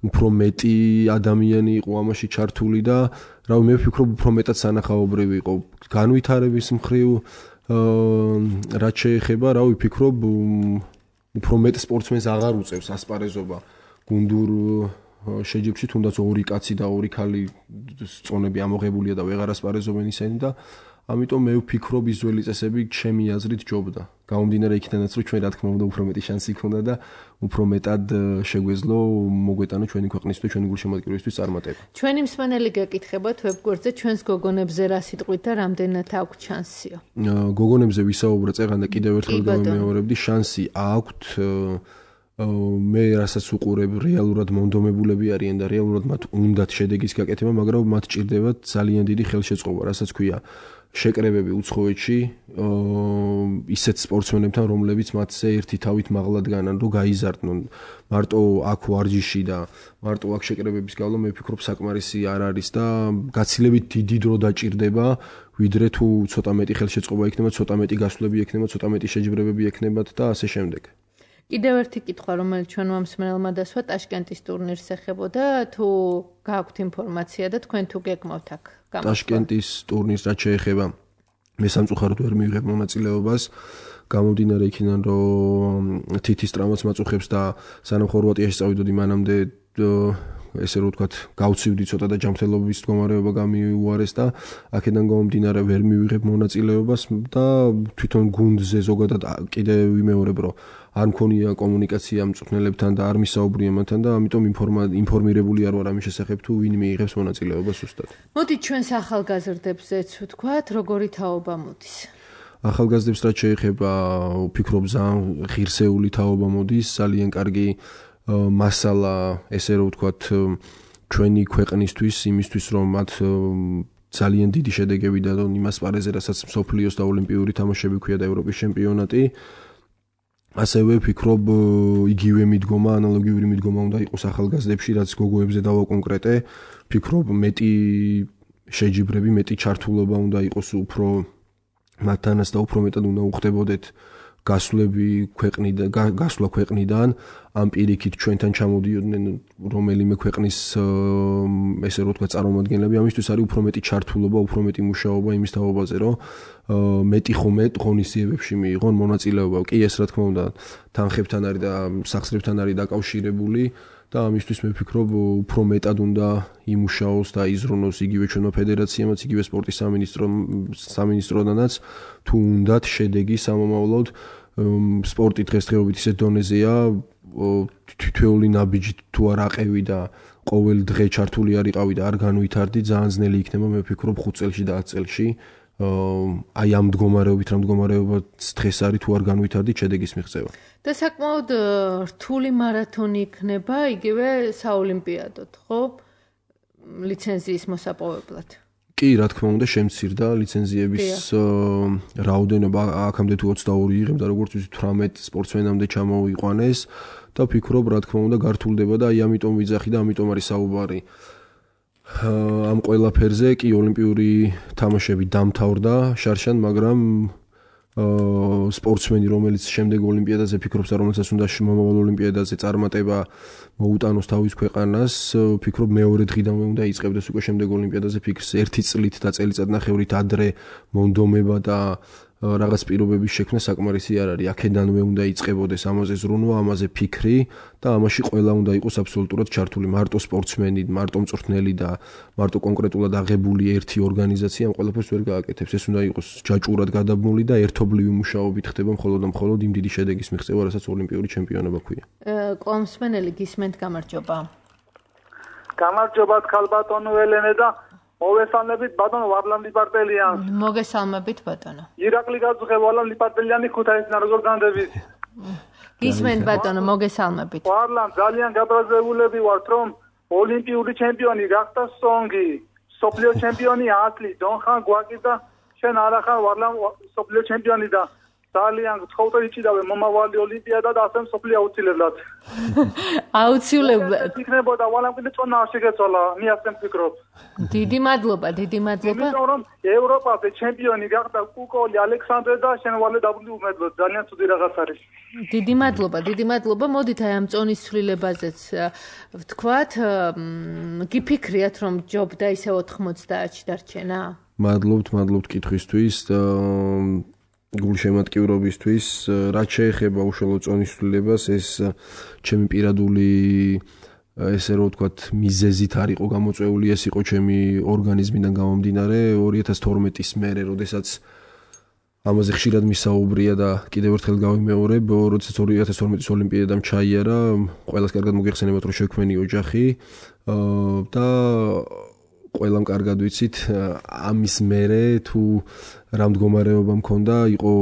უფრო მეტი ადამიანი იყო ამაში ჩართული და რავი, მე ვფიქრობ, უფრო მეტად სანახაობრივი იყო განვითარების მხრივ, რაც შეეხება, რავი, ვფიქრობ, უფრო მეტ სპორტსმენს აღარ უწევს ასპარეზობა გუნდურ შეჯიბრში, თუნდაც ორი კაცი და ორი ქალი წონები ამოღებულია და ვეღარ ასპარეზობენ ისინი და ამიტომ მე ვფიქრობ ის ძველი წესები ჩემი აზრით ჯობდა. გამომდინარე იქიდანაც რომ ჩვენ რა თქმა უნდა უფრო მეტი შანსი გქონდა და უფრო მეტად შეგვეძლო მოგვეტანა ჩვენი ქვეყნის და ჩვენი გულშემატკივრისთვის წარმატება. ჩვენი მსმენელი გეკითხებათ ვებგვერდზე ჩვენს გოგონებზე რა სიტყვით და რამდენად აქვს შანსიო? გოგონებზე ვისაუბრე წეგან და კიდევ ერთხელ გავიმეორებდი, შანსი აქვთ. მე რასაც უყურებ რეალურად მონდომებულები არიან და რეალურად მათ უნდათ შედეგის გაკეთება, მაგრამ მათ ჭირდებათ ძალიან დიდი ხელშეწყობა, რასაც ქვია შეკრებები უცხოეთში ისეთ სპორტსმენებთან, რომლებიც მათზე ერთი თავით მაღლად განან, რომ გაიზარდნონ. მარტო აქ ვარჯიში და მარტო აქ შეკრებების გავლა, მე ვფიქრობ საკმარისი არ არის და გაცილებით დიდი დრო დაჭირდება, ვიდრე თუ ცოტა მეტი ხელშეწყობა იქნება, ცოტა მეტი გასვლები იქნება, ცოტა მეტი შეჯიბრებები იქნებათ და ასე შემდეგ. კიდევ ერთი კითხვა, რომელიც ჩვენმა მსმენელმა დასვა, ტაშკენტის ტურნირს ეხებოდა, თუ გააქვთ ინფორმაცია და თქვენ თუ გეკმავთ აქ გამოსვლა? ტაშკენტის ტურნირს რაც შეეხება, მე სამწუხაროდ ვერ მივიღებ მონაწილეობას, გამომდინარე იქიდან, რომ თითის ტრავმაც მაწუხებს და სანამ ხორვატიაში წავიდოდი, მანამდე ესე რომ ვთქვათ, გავცივდი ცოტა და ჯანმრთელობის მდგომარეობა გამიუარეს და აქედან გამომდინარე ვერ მივიღებ მონაწილეობას და თვითონ გუნდზე ზოგადად კიდე ვიმეორებ, რომ არ მქონია კომუნიკაცია მწვრთნელებთან და არ მისაუბრია მათთან და ამიტომ ინფორმირებული არ ვარ ამის შესახებ, თუ ვინ მიიღებს მონაწილეობას ზუსტად. მოდით ჩვენს ახალგაზრდებზეც ვთქვათ, როგორი თაობა მოდის? ახალგაზრდებს რაც შეეხება, ვფიქრობ, ძალიან ღირსეული თაობა მოდის, ძალიან კარგი მასალა, ესე რომ ვთქვათ, ჩვენი ქვეყნისთვის, იმისთვის, რომ მათ ძალიან დიდი შედეგები დადონ იმ ასპარეზზე, რასაც მსოფლიოს და ოლიმპიური თამაშები ქვია და ევროპის ჩემპიონატი. ასევე ვფიქრობ, იგივე მიდგომა, ანალოგიური მიდგომა უნდა იყოს ახალგაზრდებში, რაც გოგოებზე დავაკონკრეტე. ვფიქრობ, მეტი შეჯიბრები, მეტი ჩართულობა უნდა იყოს უფრო მათთანაც და უფრო მეტად უნდა უხდებოდეთ გასვლები ქვეყნიდან, გასვლა ქვეყნიდან, ამ პირიქით ჩვენთან ჩამოდიოდნენ რომელიმე ქვეყნის ესე რომ ვთქვათ წარმომადგენლები, ამისთვის არის უფრო მეტი ჩართულობა, უფრო მეტი მუშაობა იმის თაობაზე, რომ მეტი ხომე ღონისძიებებში მიიღონ მონაწილეობა. კი, ეს რა თქმა უნდა თანხებთან არის და სახსრებთან არის დაკავშირებული და ამისთვის მე ვფიქრობ, უფრო მეტად უნდა იმუშაოს და იზრუნოს იგივე ჩვენმა ფედერაციამაც, იგივე სპორტის სამინისტრომ სამინისტროდანაც, თუ უნდათ შედეგი სამომავლოდ სპორტი დღესდღეობით ისეთ დონეზეა, თითოეული ნაბიჯი თუ არ აყევი და ყოველ დღე ჩართული არ იყავი და არ განვითარდი, ძალიან ძნელი იქნება, მე ვფიქრობ ხუთ წელში და ათ წელში აი ამ მდგომარეობით, რა მდგომარეობაც დღეს არის, თუ არ განვითარდი შედეგის მიღწევა. და საკმაოდ რთული მარათონი იქნება იგივე საოლიმპიადოდ, ხო? ლიცენზიის მოსაპოვებლად. კი, რა თქმა უნდა, შემცირდა ლიცენზიების რაოდენობა, აქამდე თუ ოცდაორი იღებდა, როგორც ვიცით, თვრამეტ სპორტსმენამდე ჩამოიყვანეს და ვფიქრობ, რა თქმა უნდა, გართულდება და აი ამიტომ ვიძახი და ამიტომ არის საუბარი. ამ ყველაფერზე კი ოლიმპიური თამაშები დამთავრდა შარშან, მაგრამ სპორტსმენი, რომელიც შემდეგ ოლიმპიადაზე ფიქრობს და რომელსაც უნდა მომავალ ოლიმპიადაზე წარმატება მოუტანოს თავის ქვეყანას, ფიქრობ მეორე დღიდანვე უნდა იწყებდეს უკვე შემდეგ ოლიმპიადაზე ფიქრს ერთი წლით და წელიწადნახევრით ადრე მონდომება და რაღაც პირობების შექმნა საკმარისი არ არის. აქედანვე უნდა იწყებოდეს ამაზე ზრუნვა, ამაზე ფიქრი და ამაში ყველა უნდა იყოს აბსოლუტურად ჩართული. მარტო სპორტსმენი, მარტო მწვრთნელი და მარტო კონკრეტულად აღებული ერთი ორგანიზაცია ამ ყველაფერს ვერ გააკეთებს. ეს უნდა იყოს ჯაჭვურად გადაბმული და ერთობლივი მუშაობით ხდება მხოლოდ და მხოლოდ იმ დიდი შედეგის მიღწევა, რასაც ოლიმპიური ჩემპიონობა ქვია. კოლმსმენელი გისმენთ, გამარჯობა. გამარჯობა ქალბატონო ელენე და მოვესალმებით ბატონო ვარლამ ლიპარტელიანს. მოგესალმებით ბატონო. ირაკლი გაძღე ვარლამ ლიპარტელიანი ქუთაისიდან როგორ განდებით? გისმენთ ბატონო, მოგესალმებით. ვარლამ ძალიან გაბრაზებულები ვართ რომ ოლიმპიური ჩემპიონი გახდა სონგი, სოფლიო ჩემპიონი ატლი, დონხან გვაკი და შენ არახარ ვარლამ სოფლიო ჩემპიონი და ძალიან გთხოვთ იჭიდავე მომავალი ოლიმპიადა და ასე სოფლიო აუცილებლად. აუცილებლად. იქნებოდა ვარლამ კიდე წონა შეგეცვალა, მე ასე ვფიქრობ. დიდი მადლობა, დიდი მადლობა. იმიტომ რომ ევროპაზე ჩემპიონი გახდა კუკოლი, ალექსანდრე და შენ ვალე დაბლი უმედლოდ. ძალიან ცუდი რაღაც არის. დიდი მადლობა, დიდი მადლობა. მოდით აი ამ წონის ცვლილებაზეც ვთქვათ, გიფიქრიათ რომ ჯობდა ისე ოთხმოცდაათში დარჩენა? მადლობთ, მადლობთ კითხვისთვის. გულშემატკივრობისთვის, რაც შეეხება უშუალოდ წონის ცვლილებას, ეს ჩემი პირადული ესე რომ ვთქვათ, მიზეზით არ იყო გამოწვეული, ეს იყო ჩემი ორგანიზმიდან გამომდინარე ორი ათას თორმეტის მერე, როდესაც ამაზე ხშირად მისაუბრია და კიდევ ერთხელ გავიმეორებ, როდესაც ორი ათას თორმეტის ოლიმპიადამ ჩაიარა, ყველას კარგად მოგეხსენებათ, რომ შექმენი ოჯახი და ყველამ კარგად ვიცით, ამის მერე თუ რა მდგომარეობა მქონდა, იყო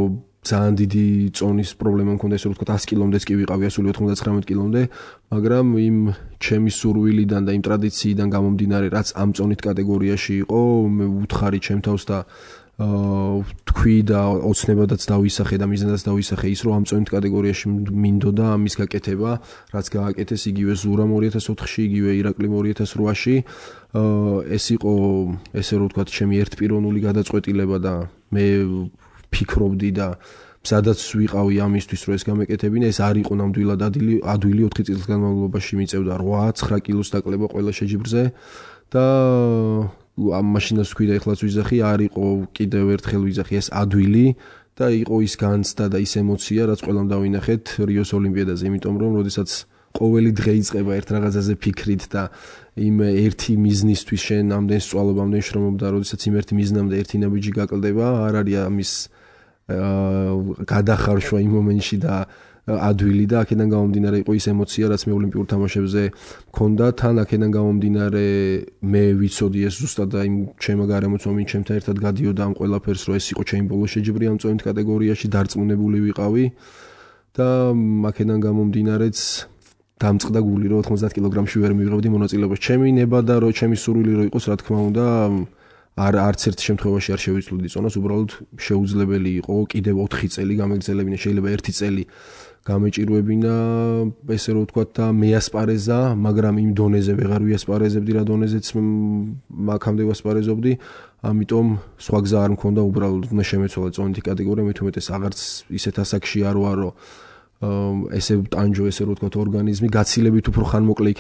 ძალიან დიდი წონის პრობლემა მქონდა, ესე რომ ვთქვათ, ას კილომდეც კი ვიყავი, ასული ოთხმოცდათვრამეტ კილომდე, მაგრამ იმ ჩემი სურვილიდან და იმ ტრადიციიდან გამომდინარე, რაც ამ წონით კატეგორიაში იყო, მე ვუთხარი ჩემ თავს და თქვი და ოცნებადაც დავისახე და მიზნადაც დავისახე ის, რომ ამ წონით კატეგორიაში მინდოდა ამის გაკეთება, რაც გააკეთეს იგივე ზურამ ორი ათას ოთხში, იგივე ირაკლიმ ორი ათას რვაში. ეს იყო, ესე რომ ვთქვათ, ჩემი ერთპიროვნული გადაწყვეტილება და მე ფიქრობდი და სადაც ვიყავი ამისთვის, რომ ეს გამეკეთებინა, ეს არ იყო ნამდვილად ადვილი, ადვილი ოთხი წლის განმავლობაში მიწევდა რვა ცხრა კილოს დაკლება ყველა შეჯიბრზე და ამ მაშინას ვქვი და ეხლაც ვიზახი, არ იყო კიდევ ერთხელ ვიზახი ეს ადვილი და იყო ის განცდა და ის ემოცია, რაც ყველამ დავინახეთ რიოს ოლიმპიადაზე, იმიტომ რომ როდესაც ყოველი დღე იწყება ერთ რაღაცაზე ფიქრით და იმ ერთი მიზნისთვის შენ ამდენ სწვალობ, ამდენ შრომობ და როდესაც იმ ერთი მიზნამდე ერთი ნაბიჯი გაკლდება, არ არის ამის გადახარშვა იმ მომენტში და ადვილი და აქედან გამომდინარე იყო ის ემოცია, რაც მე ოლიმპიურ თამაშებზე მქონდა, თან აქედან გამომდინარე მე ვიცოდი ეს ზუსტად და იმ ჩემო გარემოცვამით ჩემთან ერთად გადიოდა ამ ყველაფერს, რომ ეს იყო ჩემი ბოლო შეჯიბრი ამ წონით კატეგორიაში, დარწმუნებული ვიყავი და აქედან გამომდინარეც დამწყდა გული, რომ ოთხმოცდაათ კილოგრამში ვერ მივიღებდი მონაწილეობას. ჩემი ნება და რომ ჩემი სურვილი რო იყოს, რა თქმა უნდა, არ არც ერთ შემთხვევაში არ შევიცვლოდი წონას, უბრალოდ შეუძლებელი იყო კიდევ ოთხი წელი გამეგზელებინა, შეიძლება ერთი წელი გამეჭირვებინა, ესე რომ ვთქვათ და მეასპარეზა, მაგრამ იმ დონეზე ვეღარ ვიასპარეზებდი, რა დონეზეც აქამდე ვასპარეზობდი, ამიტომ სხვა გზა არ მქონდა, უბრალოდ უნდა შემეცვალა წონითი კატეგორია, მით უმეტეს აღარც ისეთ ასაკში არ ვარო, ესე ტანჯო, ესე რომ ვთქვათ, ორგანიზმი გაცილებით უფრო ხანმოკლე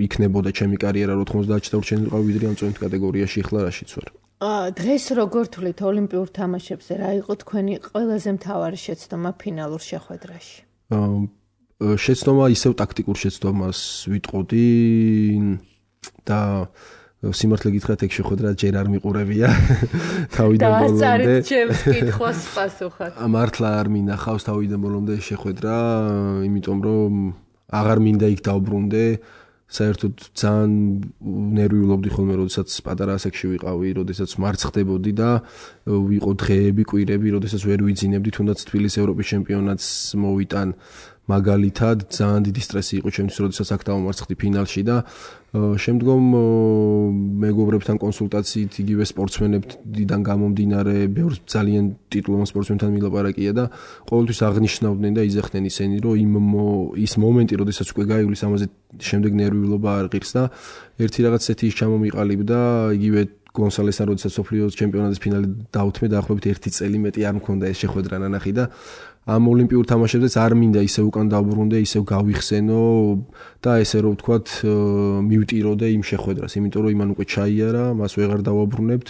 იქნებოდა ჩემი კარიერა, რომ ოთხმოცდაათში დარჩენილი ვიყავი, ვიდრე ამ წონით კატეგორიაში, ახლა რაშიც ვარ. დღეს როგორ თვლით ოლიმპიურ თამაშებზე, რა იყო თქვენი ყველაზე მთავარი შეცდომა ფინალურ შეხვედრაში? შეცდომა ისევ ტაქტიკურ შეცდომას ვიტყოდი და სიმართლე გითხრათ, ეგ შეხვედრა ჯერ არ მიყურებია თავიდან ბოლომდე. დაასწარეთ ჩემს კითხვას პასუხად. მართლა არ მინახავს თავიდან ბოლომდე შეხვედრა, იმიტომ რომ აღარ მინდა იქ დავბრუნდე. საერთოდ ძალიან ნერვიულობდი ხოლმე, როდესაც პატარა ასაკში ვიყავი, როდესაც მარცხდებოდი და ვიყო დღეები, კვირები, როდესაც ვერ ვიძინებდი, თუნდაც თბილისის ევროპის ჩემპიონატს მოვიტან მაგალითად, ძალიან დიდი სტრესი იყო ჩემთვის, როდესაც აქ დავამარცხდი ფინალში და შემდგომ მეგობრებთან კონსულტაციით, იგივე სპორტსმენებთან გამომდინარე, ბევრ ძალიან ტიტულოვან სპორტსმენთან მილაპარაკია და ყოველთვის აღნიშნავდნენ და იძახდნენ ისინი, რომ იმ ის მომენტი, როდესაც უკვე გაივლის, ამაზე შემდეგ ნერვიულობა არ ღირს და ერთი რაღაც ესეთი ის ჩამომიყალიბდა, იგივე გონსალესთან როდესაც სოფლიოს ჩემპიონატის ფინალი დაუთმე დაახლოებით ერთი წელი მეტი არ მქონდა ეს შეხვედრა ნანახი და ამ ოლიმპიურ თამაშებზეც არ მინდა ისე უკან დავბრუნდე, ისე გავიხსენო და ესე რომ ვთქვათ მივტიროდე იმ შეხვედრას, იმიტომ რომ იმან უკვე ჩაიარა, მას ვეღარ დავაბრუნებთ,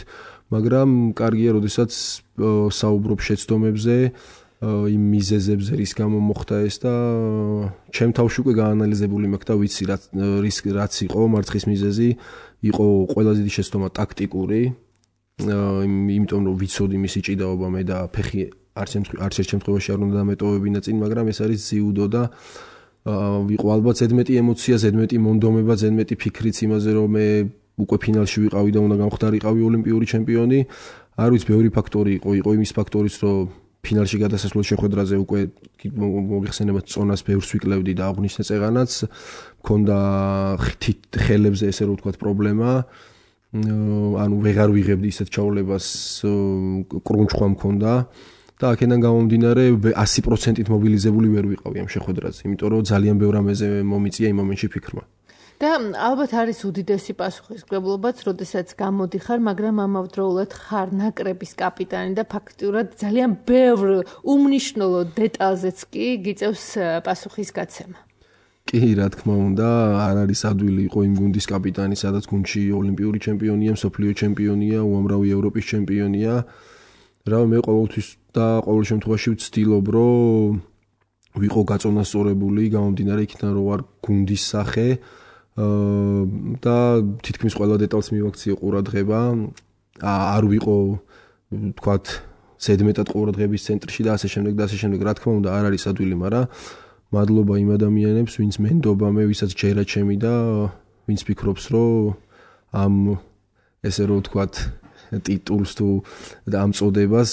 მაგრამ კარგია, როდესაც საუბრობ შეცდომებზე, იმ მიზეზებზე, რის გამო მოხდა ეს და ჩემ თავში უკვე გაანალიზებული მაქვს და ვიცი რის რაც იყო მარცხის მიზეზი, იყო ყველაზე დიდი შეცდომა ტაქტიკური, იმიტომ რომ ვიცოდი მისი ჭიდაობა მე და ფეხი არც ერთ შემთხვევაში არ უნდა დამეტოვებინა წინ, მაგრამ ეს არის ძიუდო და იყო ალბათ ზედმეტი ემოცია, ზედმეტი მონდომება, ზედმეტი ფიქრიც იმაზე, რომ მე უკვე ფინალში ვიყავი და უნდა გამხდარიყავი ოლიმპიური ჩემპიონი. არ ვიცი, ბევრი ფაქტორი იყო, იყო იმის ფაქტორიც, რომ ფინალში გადასასვლელ შეხვედრაზე უკვე მოგიხსენებათ წონას ბევრს ვიკლევდი და აღნიშნე წეღანაც, მქონდა ხელებზე ესე რომ ვთქვათ პრობლემა. ანუ ვეღარ ვიღებდი ისეთ ჩაოლებას, კრუნჩხვა მქონდა. და აქედან გამომდინარე ასი პროცენტით მობილიზებული ვერ ვიყავი ამ შეხვედრაზე, იმიტომ რომ ძალიან ბევრ ამაზე მომიწია იმ მომენტში ფიქრმა. და ალბათ არის უდიდესი პასუხისმგებლობაც, როდესაც გამოდიხარ, მაგრამ ამავდროულად ხარ ნაკრების კაპიტანი და ფაქტურად ძალიან ბევრ უმნიშვნელო დეტალზეც კი გიწევს პასუხისგაცემა. კი, რა თქმა უნდა, არ არის ადვილი იყო იმ გუნდის კაპიტანი, სადაც გუნდში ოლიმპიური ჩემპიონია, მსოფლიო ჩემპიონია, უამრავი ევროპის ჩემპიონია. რა მე ყოველთვის და ყოველ შემთხვევაში ვცდილობ, რომ ვიყო გაწონასწორებული, გამომდინარე იქიდან, რომ ვარ გუნდის სახე და თითქმის ყველა დეტალს მივაქციე ყურადღება, არ ვიყო, ვთქვათ, ზედმეტად ყურადღების ცენტრში და ასე შემდეგ და ასე შემდეგ. რა თქმა უნდა, არ არის ადვილი, მაგრამ მადლობა იმ ადამიანებს, ვინც მენდობა მე, ვისაც ჯერა ჩემი და ვინც ფიქრობს, რომ ამ ესე რომ ვთქვათ, ტიტულს თუ ამ წოდებას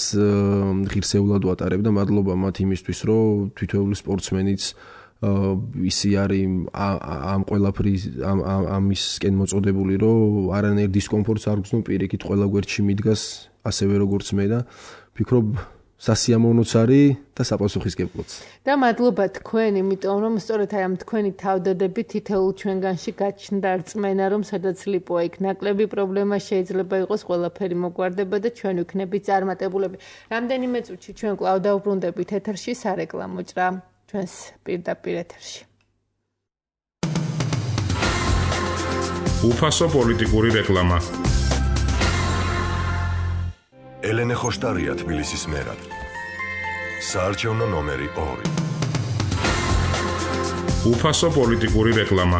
ღირსეულად ვატარებ და მადლობა მათ იმისთვის, რომ თითოეული სპორტსმენიც ისი არის ამ ყველაფრის ამ ამისკენ მოწოდებული, რომ არანაირ დისკომფორტს არ გრძნო, პირიქით ყველა გვერდში მიდგას ასევე როგორც მე და ფიქრობ სასიამოვნოც არის და საპასუხისმგებლოც. და მადლობა თქვენ, იმიტომ რომ სწორედ აი ამ თქვენი თავდადებით თითოეულ ჩვენგანში გაჩნდა რწმენა, რომ სადაც ლიპოა იქ ნაკლები პრობლემა შეიძლება იყოს, ყველაფერი მოგვარდება და ჩვენ ვიქნებით წარმატებულები. რამდენიმე წუთში ჩვენ კვლავ დავბრუნდებით ეთერში სარეკლამო ჭრა ჩვენს პირდაპირ ეთერში. უფასო პოლიტიკური რეკლამა. ელენე ხოშტარია თბილისის მერად. საარჩევნო ნომერი ორი. უფასო პოლიტიკური რეკლამა.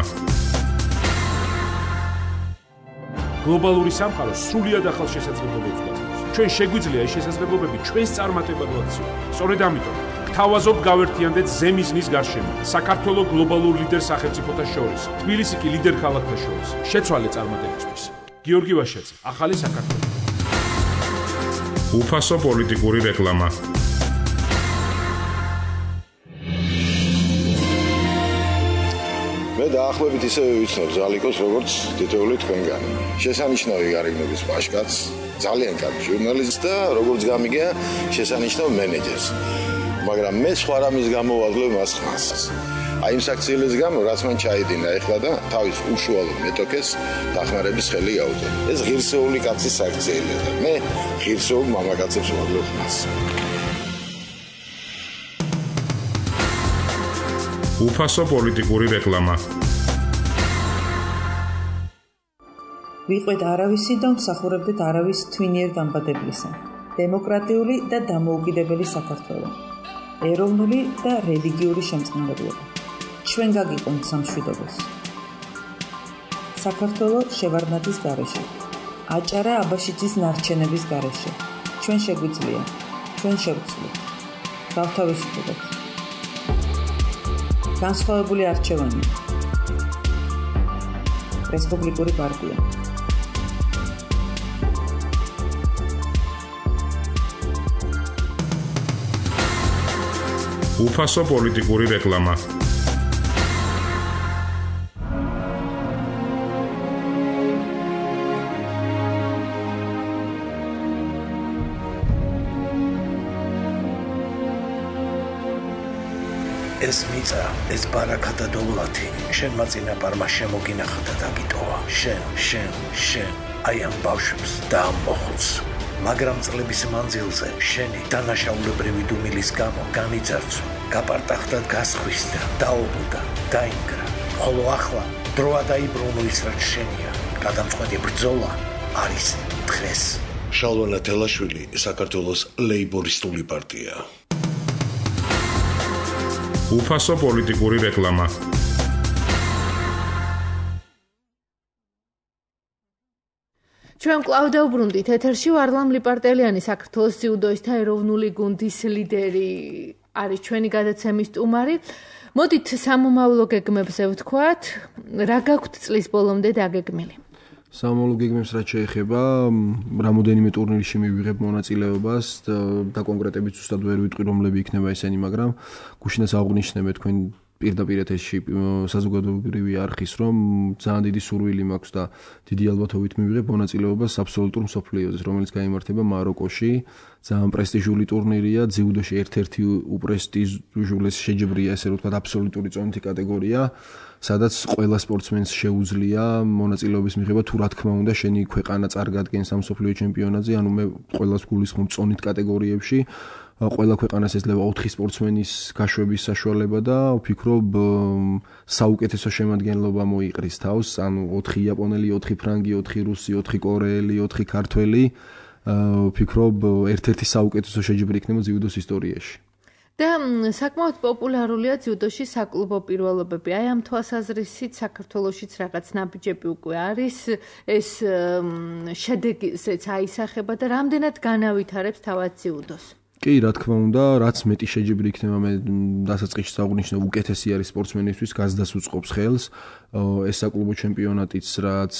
გლობალური სამყარო სრულიად ახალ შესაძლებლობებს გვაქვს. ჩვენ შეგვიძლია ეს შესაძლებლობები ჩვენს წარმატებად ვაქციო. სწორედ ამიტომ გთავაზობთ გავერთიანდეთ ზემიზნის გარშემო. საქართველოს გლობალურ ლიდერ სახელმწიფოთა შორის, თბილისი კი ლიდერ ქალაქთა შორის. შეცვალე წარმატებისთვის. გიორგი ვაშაძე, ახალი საქართველო. უფასო პოლიტიკური რეკლამა. მე დაახლოებით ისევე ვიცნობ ზალიკოს, როგორც თითოეული თქვენგანი. შესანიშნავი გარეგნობის პაშკაც, ძალიან კარგი ჟურნალისტი და როგორც გამიგია, შესანიშნავ მენეჯერს. მაგრამ მე სხვა რამის გამო ვაძლევ მას ხმას. აი იმ საქციელის გამო, რაც მან ჩაიდინა ეხლა და თავის უშუალო მეტოქეს დახმარების ხელი გაუწევ. ეს ღირსეული კაცის საქციელია და მე ღირსეულ მამაკაცებს ვაძლევ ხმას. უფასო პოლიტიკური რეკლამა. ვიყვეთ არავისი და ვმსახურებდეთ არავის თვინიერ დამბადებლისა. დემოკრატიული და დამოუკიდებელი საქართველო. ეროვნული და რელიგიური შემწყნარებლობა. ჩვენ გაგიყვანთ სამშვიდობოს. საქართველო შევარდნაძის გარეშე. აჭარა აბაშიძის ნარჩენების გარეშე. ჩვენ შეგვიძლია. ჩვენ შევცვლით. გავთავისუფლდეთ. განსხვავებული არჩევანი. რესპუბლიკური პარტია. უფასო პოლიტიკური რეკლამა. ეს მიწა, ეს ბარაკა და დოვლათი, შენმა წინაპარმა შემოგინახა და დაგიტოვა. შენ, შენ, შენ, აი ამ ბავშვს და ამ მოხუცს. მაგრამ წლების მანძილზე შენი დანაშაულებრივი დუმილის გამო განიძარცვა, გაპარტახდა, გასხვისდა, დაობუდა, დაინგრა. ხოლო ახლა დროა დაიბრუნო ის, რაც შენია. გადამწყვეტი ბრძოლა არის დღეს. შალვა თელაშვილი, საქართველოს ლეიბორისტული პარტია. უფასო პოლიტიკური რეკლამა. ჩვენ კვლავ დავბრუნდით ეთერში ვარლამ ლიპარტელიანი საქართველოს ძიუდოისტთა ეროვნული გუნდის ლიდერი არის ჩვენი გადაცემის სტუმარი. მოდით სამომავლო გეგმებზე ვთქვათ, რა გაქვთ წლის ბოლომდე დაგეგმილი? სამომავლო გეგმებს რაც შეეხება, რამოდენიმე ტურნირში მივიღებ მონაწილეობას და კონკრეტებით ზუსტად ვერ ვიტყვი რომლები იქნება ესენი, მაგრამ გუშინაც აღვნიშნებთ თქვენ პირდაპირ ეთერში საზოგადოებრივი არხის, რომ ძალიან დიდი სურვილი მაქვს და დიდი ალბათობით მივიღებ მონაწილეობას აბსოლუტურ მსოფლიოზე, რომელიც გაიმართება მაროკოში. ძალიან პრესტიჟული ტურნირია, ძიუდოში ერთ-ერთი უპრესტიჟულესი შეჯიბრია, ესე რომ ვთქვათ, აბსოლუტური წონითი კატეგორია, სადაც ყველა სპორტსმენს შეუძლია მონაწილეობის მიღება, თუ რა თქმა უნდა, შენი ქვეყანა წარგადგენს ამ მსოფლიო ჩემპიონატზე, ანუ მე ყველას გულისხმობ წონით კატეგორიებში. ყველა ქვეყანას ეძლევა ოთხი სპორტსმენის გაშვების საშუალება და ვფიქრობ საუკეთესო შემადგენლობა მოიყრის თავს, ანუ ოთხი იაპონელი, ოთხი ფრანგი, ოთხი რუსი, ოთხი კორეელი, ოთხი ქართველი. ვფიქრობ ერთ-ერთი საუკეთესო შეჯიბრი იქნება ძიუდოს ისტორიაში. და საკმაოდ პოპულარულია ძიუდოში საკლუბო პირველობები. აი ამ თვალსაზრისით საქართველოშიც რაღაც ნაბიჯები უკვე არის, ეს შედეგზეც აისახება და რამდენად განავითარებს თავად ძიუდოს. კი, რა თქმა უნდა, რაც მეტი შეჯიბრი იქნება, მე დასაწყისში საუბრნიშნავ, უკეთესი არის სპორტსმენისთვის, გაზდას უწყობს ხელს. ეს საკლუბო ჩემპიონატიც, რაც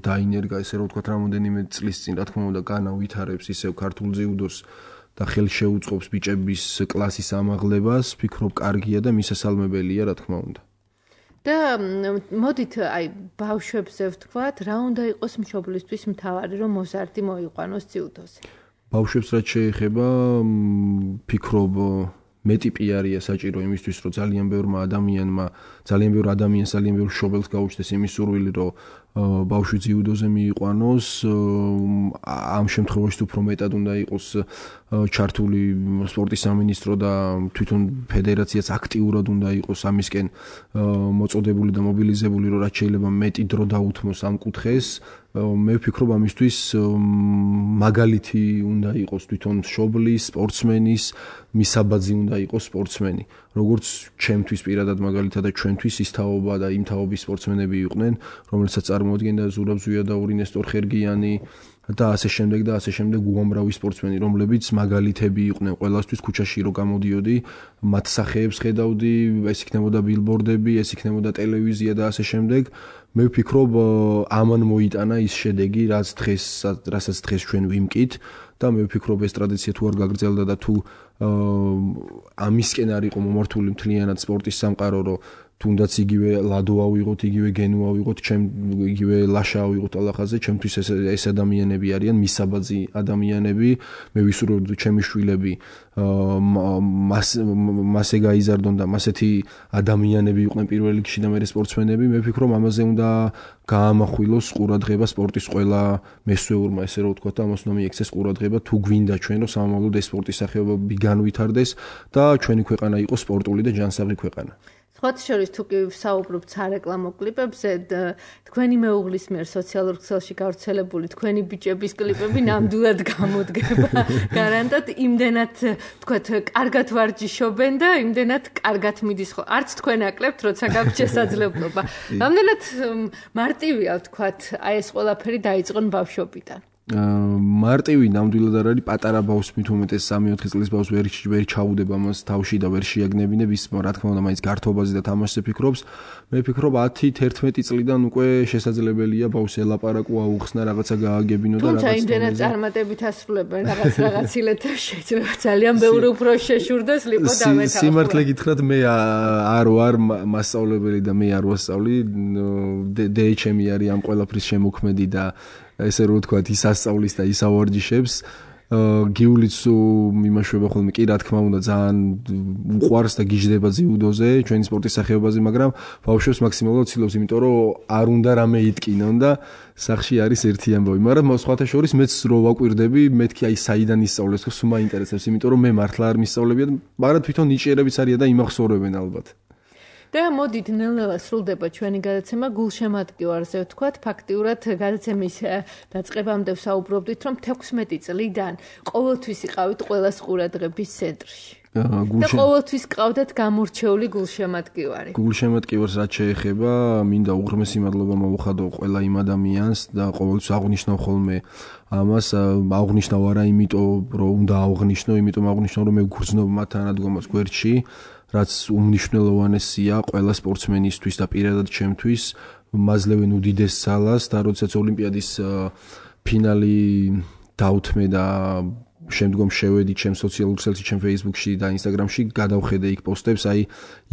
დაინერგა, ესე რომ ვთქვათ, რამოდენიმე წლის წინ, რა თქმა უნდა, განავითარებს ისევ ქართულ ძიუდოს და ხელს შეუწყობს ბიჭების კლასის ამაღლებას, ვფიქრობ, კარგია და მისასალმებელია, რა თქმა უნდა. და მოდით აი ბავშვებზე ვთქვათ, რა უნდა იყოს მშობლისთვის მთავარი, რომ მოზარდი მოიყვანოს ძიუდოზე? ბავშვებს რაც შეეხება, ვფიქრობ, მეტი პიარია საჭირო იმისთვის, რომ ძალიან ბევრმა ადამიანმა, ძალიან ბევრ ადამიანს, ძალიან ბევრ მშობელს გაუჩნდეს იმის სურვილი, რომ ბავშვი ძიუდოზე მიიყვანოს. ამ შემთხვევაში უფრო მეტად უნდა იყოს ჩართული სპორტის სამინისტრო და თვითონ ფედერაციაც აქტიურად უნდა იყოს ამისკენ მოწოდებული და მობილიზებული, რომ რაც შეიძლება მეტი დრო დაუთმოს ამ კუთხეს. მე ვფიქრობ, ამისთვის მაგალითი უნდა იყოს თვითონ მშობლის, სპორტსმენის, მისაბაძი უნდა იყოს სპორტსმენი. როგორც ჩემთვის პირადად მაგალითად და ჩვენთვის ის თაობა და იმ თაობის სპორტსმენები იყვნენ, რომელსაც წარმოადგენდა ზურაბ ზვიადაური, ნესტორ ხერგიანი და ასე შემდეგ და ასე შემდეგ უამრავი სპორტსმენი, რომლებიც მაგალითები იყვნენ ყველასთვის. ქუჩაში რო გამოდიოდი, მათ სახეებს ხედავდი, ეს იქნებოდა ბილბორდები, ეს იქნებოდა ტელევიზია და ასე შემდეგ. მე ვფიქრობ, ამან მოიტანა ის შედეგი, რაც დღეს, რასაც დღეს ჩვენ ვიმკით და მე ვფიქრობ, ეს ტრადიცია თუ არ გაგრძელდა და თუ ამისკენ არ იყო მომართული მთლიანად სპორტის სამყარო, რომ თუნდაც იგივე ლადო ავიღოთ, იგივე გენო ავიღოთ, ჩემ იგივე ლაშა ავიღოთ ალახაზე, ჩემთვის ეს ეს ადამიანები არიან მისაბაძი ადამიანები. მე ვისურვებ, ჩემი შვილები მასე გაიზარდონ და მასეთი ადამიანები იყვნენ პირველ რიგში და მე სპორტსმენები. მე ვფიქრობ, ამაზე უნდა გაამახვილოს ყურადღება სპორტის ყველა მესვეურმა, ესე რომ ვთქვათ, ამას უნდა მიექცეს ყურადღება, თუ გვინდა ჩვენ, რომ სამომავლოდ ეს სპორტის სახეობები განვითარდეს და ჩვენი ქვეყანა იყოს სპორტული და ჯანსაღი ქვეყანა. სხვათა შორის თუ კი ვსაუბრობთ სარეკლამო კლიპებზე, თქვენი მეუღლის მიერ სოციალურ ქსელში გავრცელებული თქვენი ბიჭების კლიპები ნამდვილად გამოდგება. გარანტად იმდენად, თქვათ, კარგად ვარჯიშობენ და იმდენად კარგად მიდის ხო. არც თქვენ აკლებთ, როცა გაქვთ შესაძლებლობა. რამდენად მარტივია, თქვათ, აი ეს ყველაფერი დაიწყონ ბავშვობიდან. მარტივი ნამდვილად არ არის, პატარა ბავშვს მით უმეტეს სამი-ოთხი წლის ბავშვს ვერ ვერ ჩაუდება მას თავში და ვერ შეაგნებინებ, ის რა თქმა უნდა მაინც გართობაზე და თამაშზე ფიქრობს. მე ვფიქრობ ათი-თერთმეტი წლიდან უკვე შესაძლებელია ბავშვს ელაპარაკო, აუხსნა, რაღაცა გააგებინო და რაღაცა. თუმცა იმდენად წარმატებით ასრულებენ რაღაც რაღაც ილეთებს, შეიძლება ძალიან ბევრი უფრო შეშურდეს ლიპო დამეთავა. სიმართლე გითხრათ, მე არ ვარ მასწავლებელი და მე არ ვასწავლი, დეეჩემი არის ამ ყველაფრის შემოქმედი და ესე რომ ვთქვათ, ის ასწავლის და ის ავარჯიშებს. გიულიც იმაშვება ხოლმე კი რა თქმა უნდა ძალიან უყვარს და გიждდება ძიუდოზე ჩვენი სპორტის სახეობაზე, მაგრამ ბავშვებს მაქსიმალურად ცდილობს, იმიტომ რომ არ უნდა რამე იტკინონ და სახში არის ერთი ამბავი. მაგრამ სხვათა შორის მეც რო ვაკვირდები, მეთქი აი საიდან ისწავლეს, ხო, სულ მაინტერესებს, იმიტომ რომ მე მართლა არ მისწავლებია, მაგრამ თვითონ ნიჭიერებიც არიან და იმახსოვრებენ ალბათ. და მოდით ნელ-ნელა სრულდება ჩვენი გადაცემა გულშემატკივარზე, ვთქვათ, ფაქტიურად გადაცემის დაწყებამდე ვსაუბრობდით, რომ თექვსმეტი წლიდან ყოველთვის იყავით ყველას ყურადღების ცენტრში. და ყოველთვის ყავდათ გამორჩეული გულშემატკივარი. გულშემატკივარს რაც შეეხება, მინდა უღრმესი მადლობა მოვუხადო ყველა იმ ადამიანს და ყოველთვის აღვნიშნავ ხოლმე ამას, აღვნიშნავ არა იმიტომ, რომ უნდა აღვნიშნო, იმიტომ აღვნიშნავ, რომ მე ვგრძნობ მათ თანადგომას გვერდში, რაც უმნიშვნელოვანესია ყველა სპორტსმენისთვის და პირადად ჩემთვის, მაძლევენ უდიდეს ძალას და როდესაც ოლიმპიადის ფინალი დავთმე და შემდგომ შევედი ჩემ სოციალურ ქსელში, ჩემ Facebook-ში და Instagram-ში, გადავხედე იქ პოსტებს, აი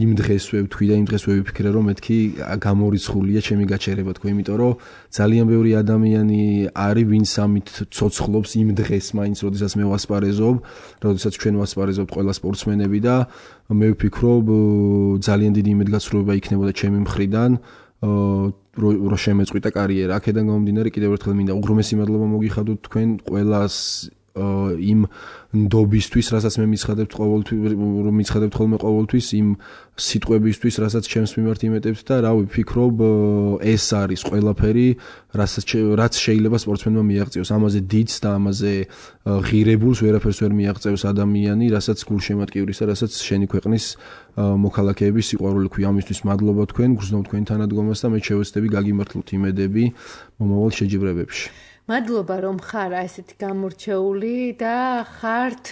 იმ დღესვე ვთქვი და იმ დღესვე ვიფიქრე, რომ მეთქი გამორიცხულია ჩემი გაჩერება, თქო, იმიტომ რომ ძალიან ბევრი ადამიანი არის, ვინც ამით ცოცხლობს იმ დღეს, მაინც როდესაც მე ვასპარეზობ, როდესაც ჩვენ ვასპარეზობთ ყველა სპორტსმენები და მე ვფიქრობ, ძალიან დიდი იმედგაცრუება იქნებოდა ჩემი მხრიდან, რო შემეწყვიტა კარიერა. აქედან გამომდინარე, კიდევ ერთხელ მინდა უღრმესი მადლობა მოგიხადოთ თქვენ ყველას იმ ნდობისთვის, რასაც მე მიცხადებთ ყოველთვის, რომ მიცხადებთ ხოლმე ყოველთვის იმ სიტყვებისთვის, რასაც ჩემს მიმართ იმეტებთ და რავი, ვფიქრობ, ეს არის ყველაფერი, რასაც რაც შეიძლება სპორტსმენმა მიაღწიოს. ამაზე დიდს და ამაზე ღირებულს ვერაფერს ვერ მიაღწევს ადამიანი, რასაც გულშემატკივრის და რასაც შენი ქვეყნის მოქალაქეების სიყვარული ქვია. ამისთვის მადლობა თქვენ, გრძნობ თქვენ თანადგომას და მე შევეცდები გაგიმართლოთ იმედები მომავალ შეჯიბრებებში. მადლობა რომ ხარ ესეთი გამორჩეული და ხართ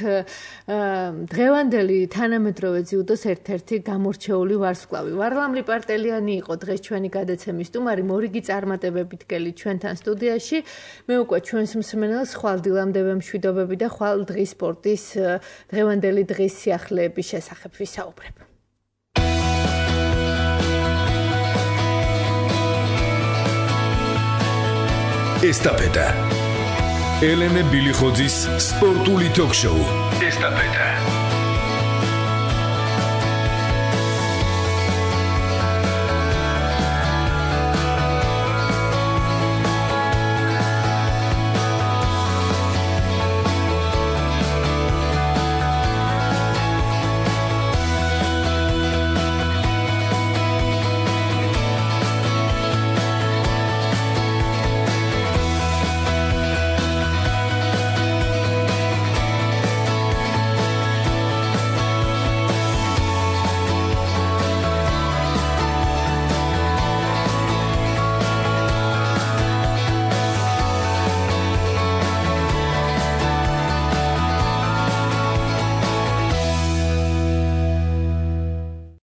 დღევანდელი თანამედროვე ძიუდოს ერთ-ერთი გამორჩეული ვარსკვლავი. ვარლამ ლიპარტელიანი იყო დღეს ჩვენი გადაცემის სტუმარი, მორიგი წარმატებებით გელი ჩვენთან სტუდიაში. მე უკვე ჩვენს მსმენელს ხვალ დილამდე მშვიდობები და ხვალ დღის სპორტის დღევანდელი დღის სიახლეების შესახებ ვისაუბრებ. ესტაფეტა. ელენე ბილიხოძის სპორტული ток-შოუ. ესტაფეტა.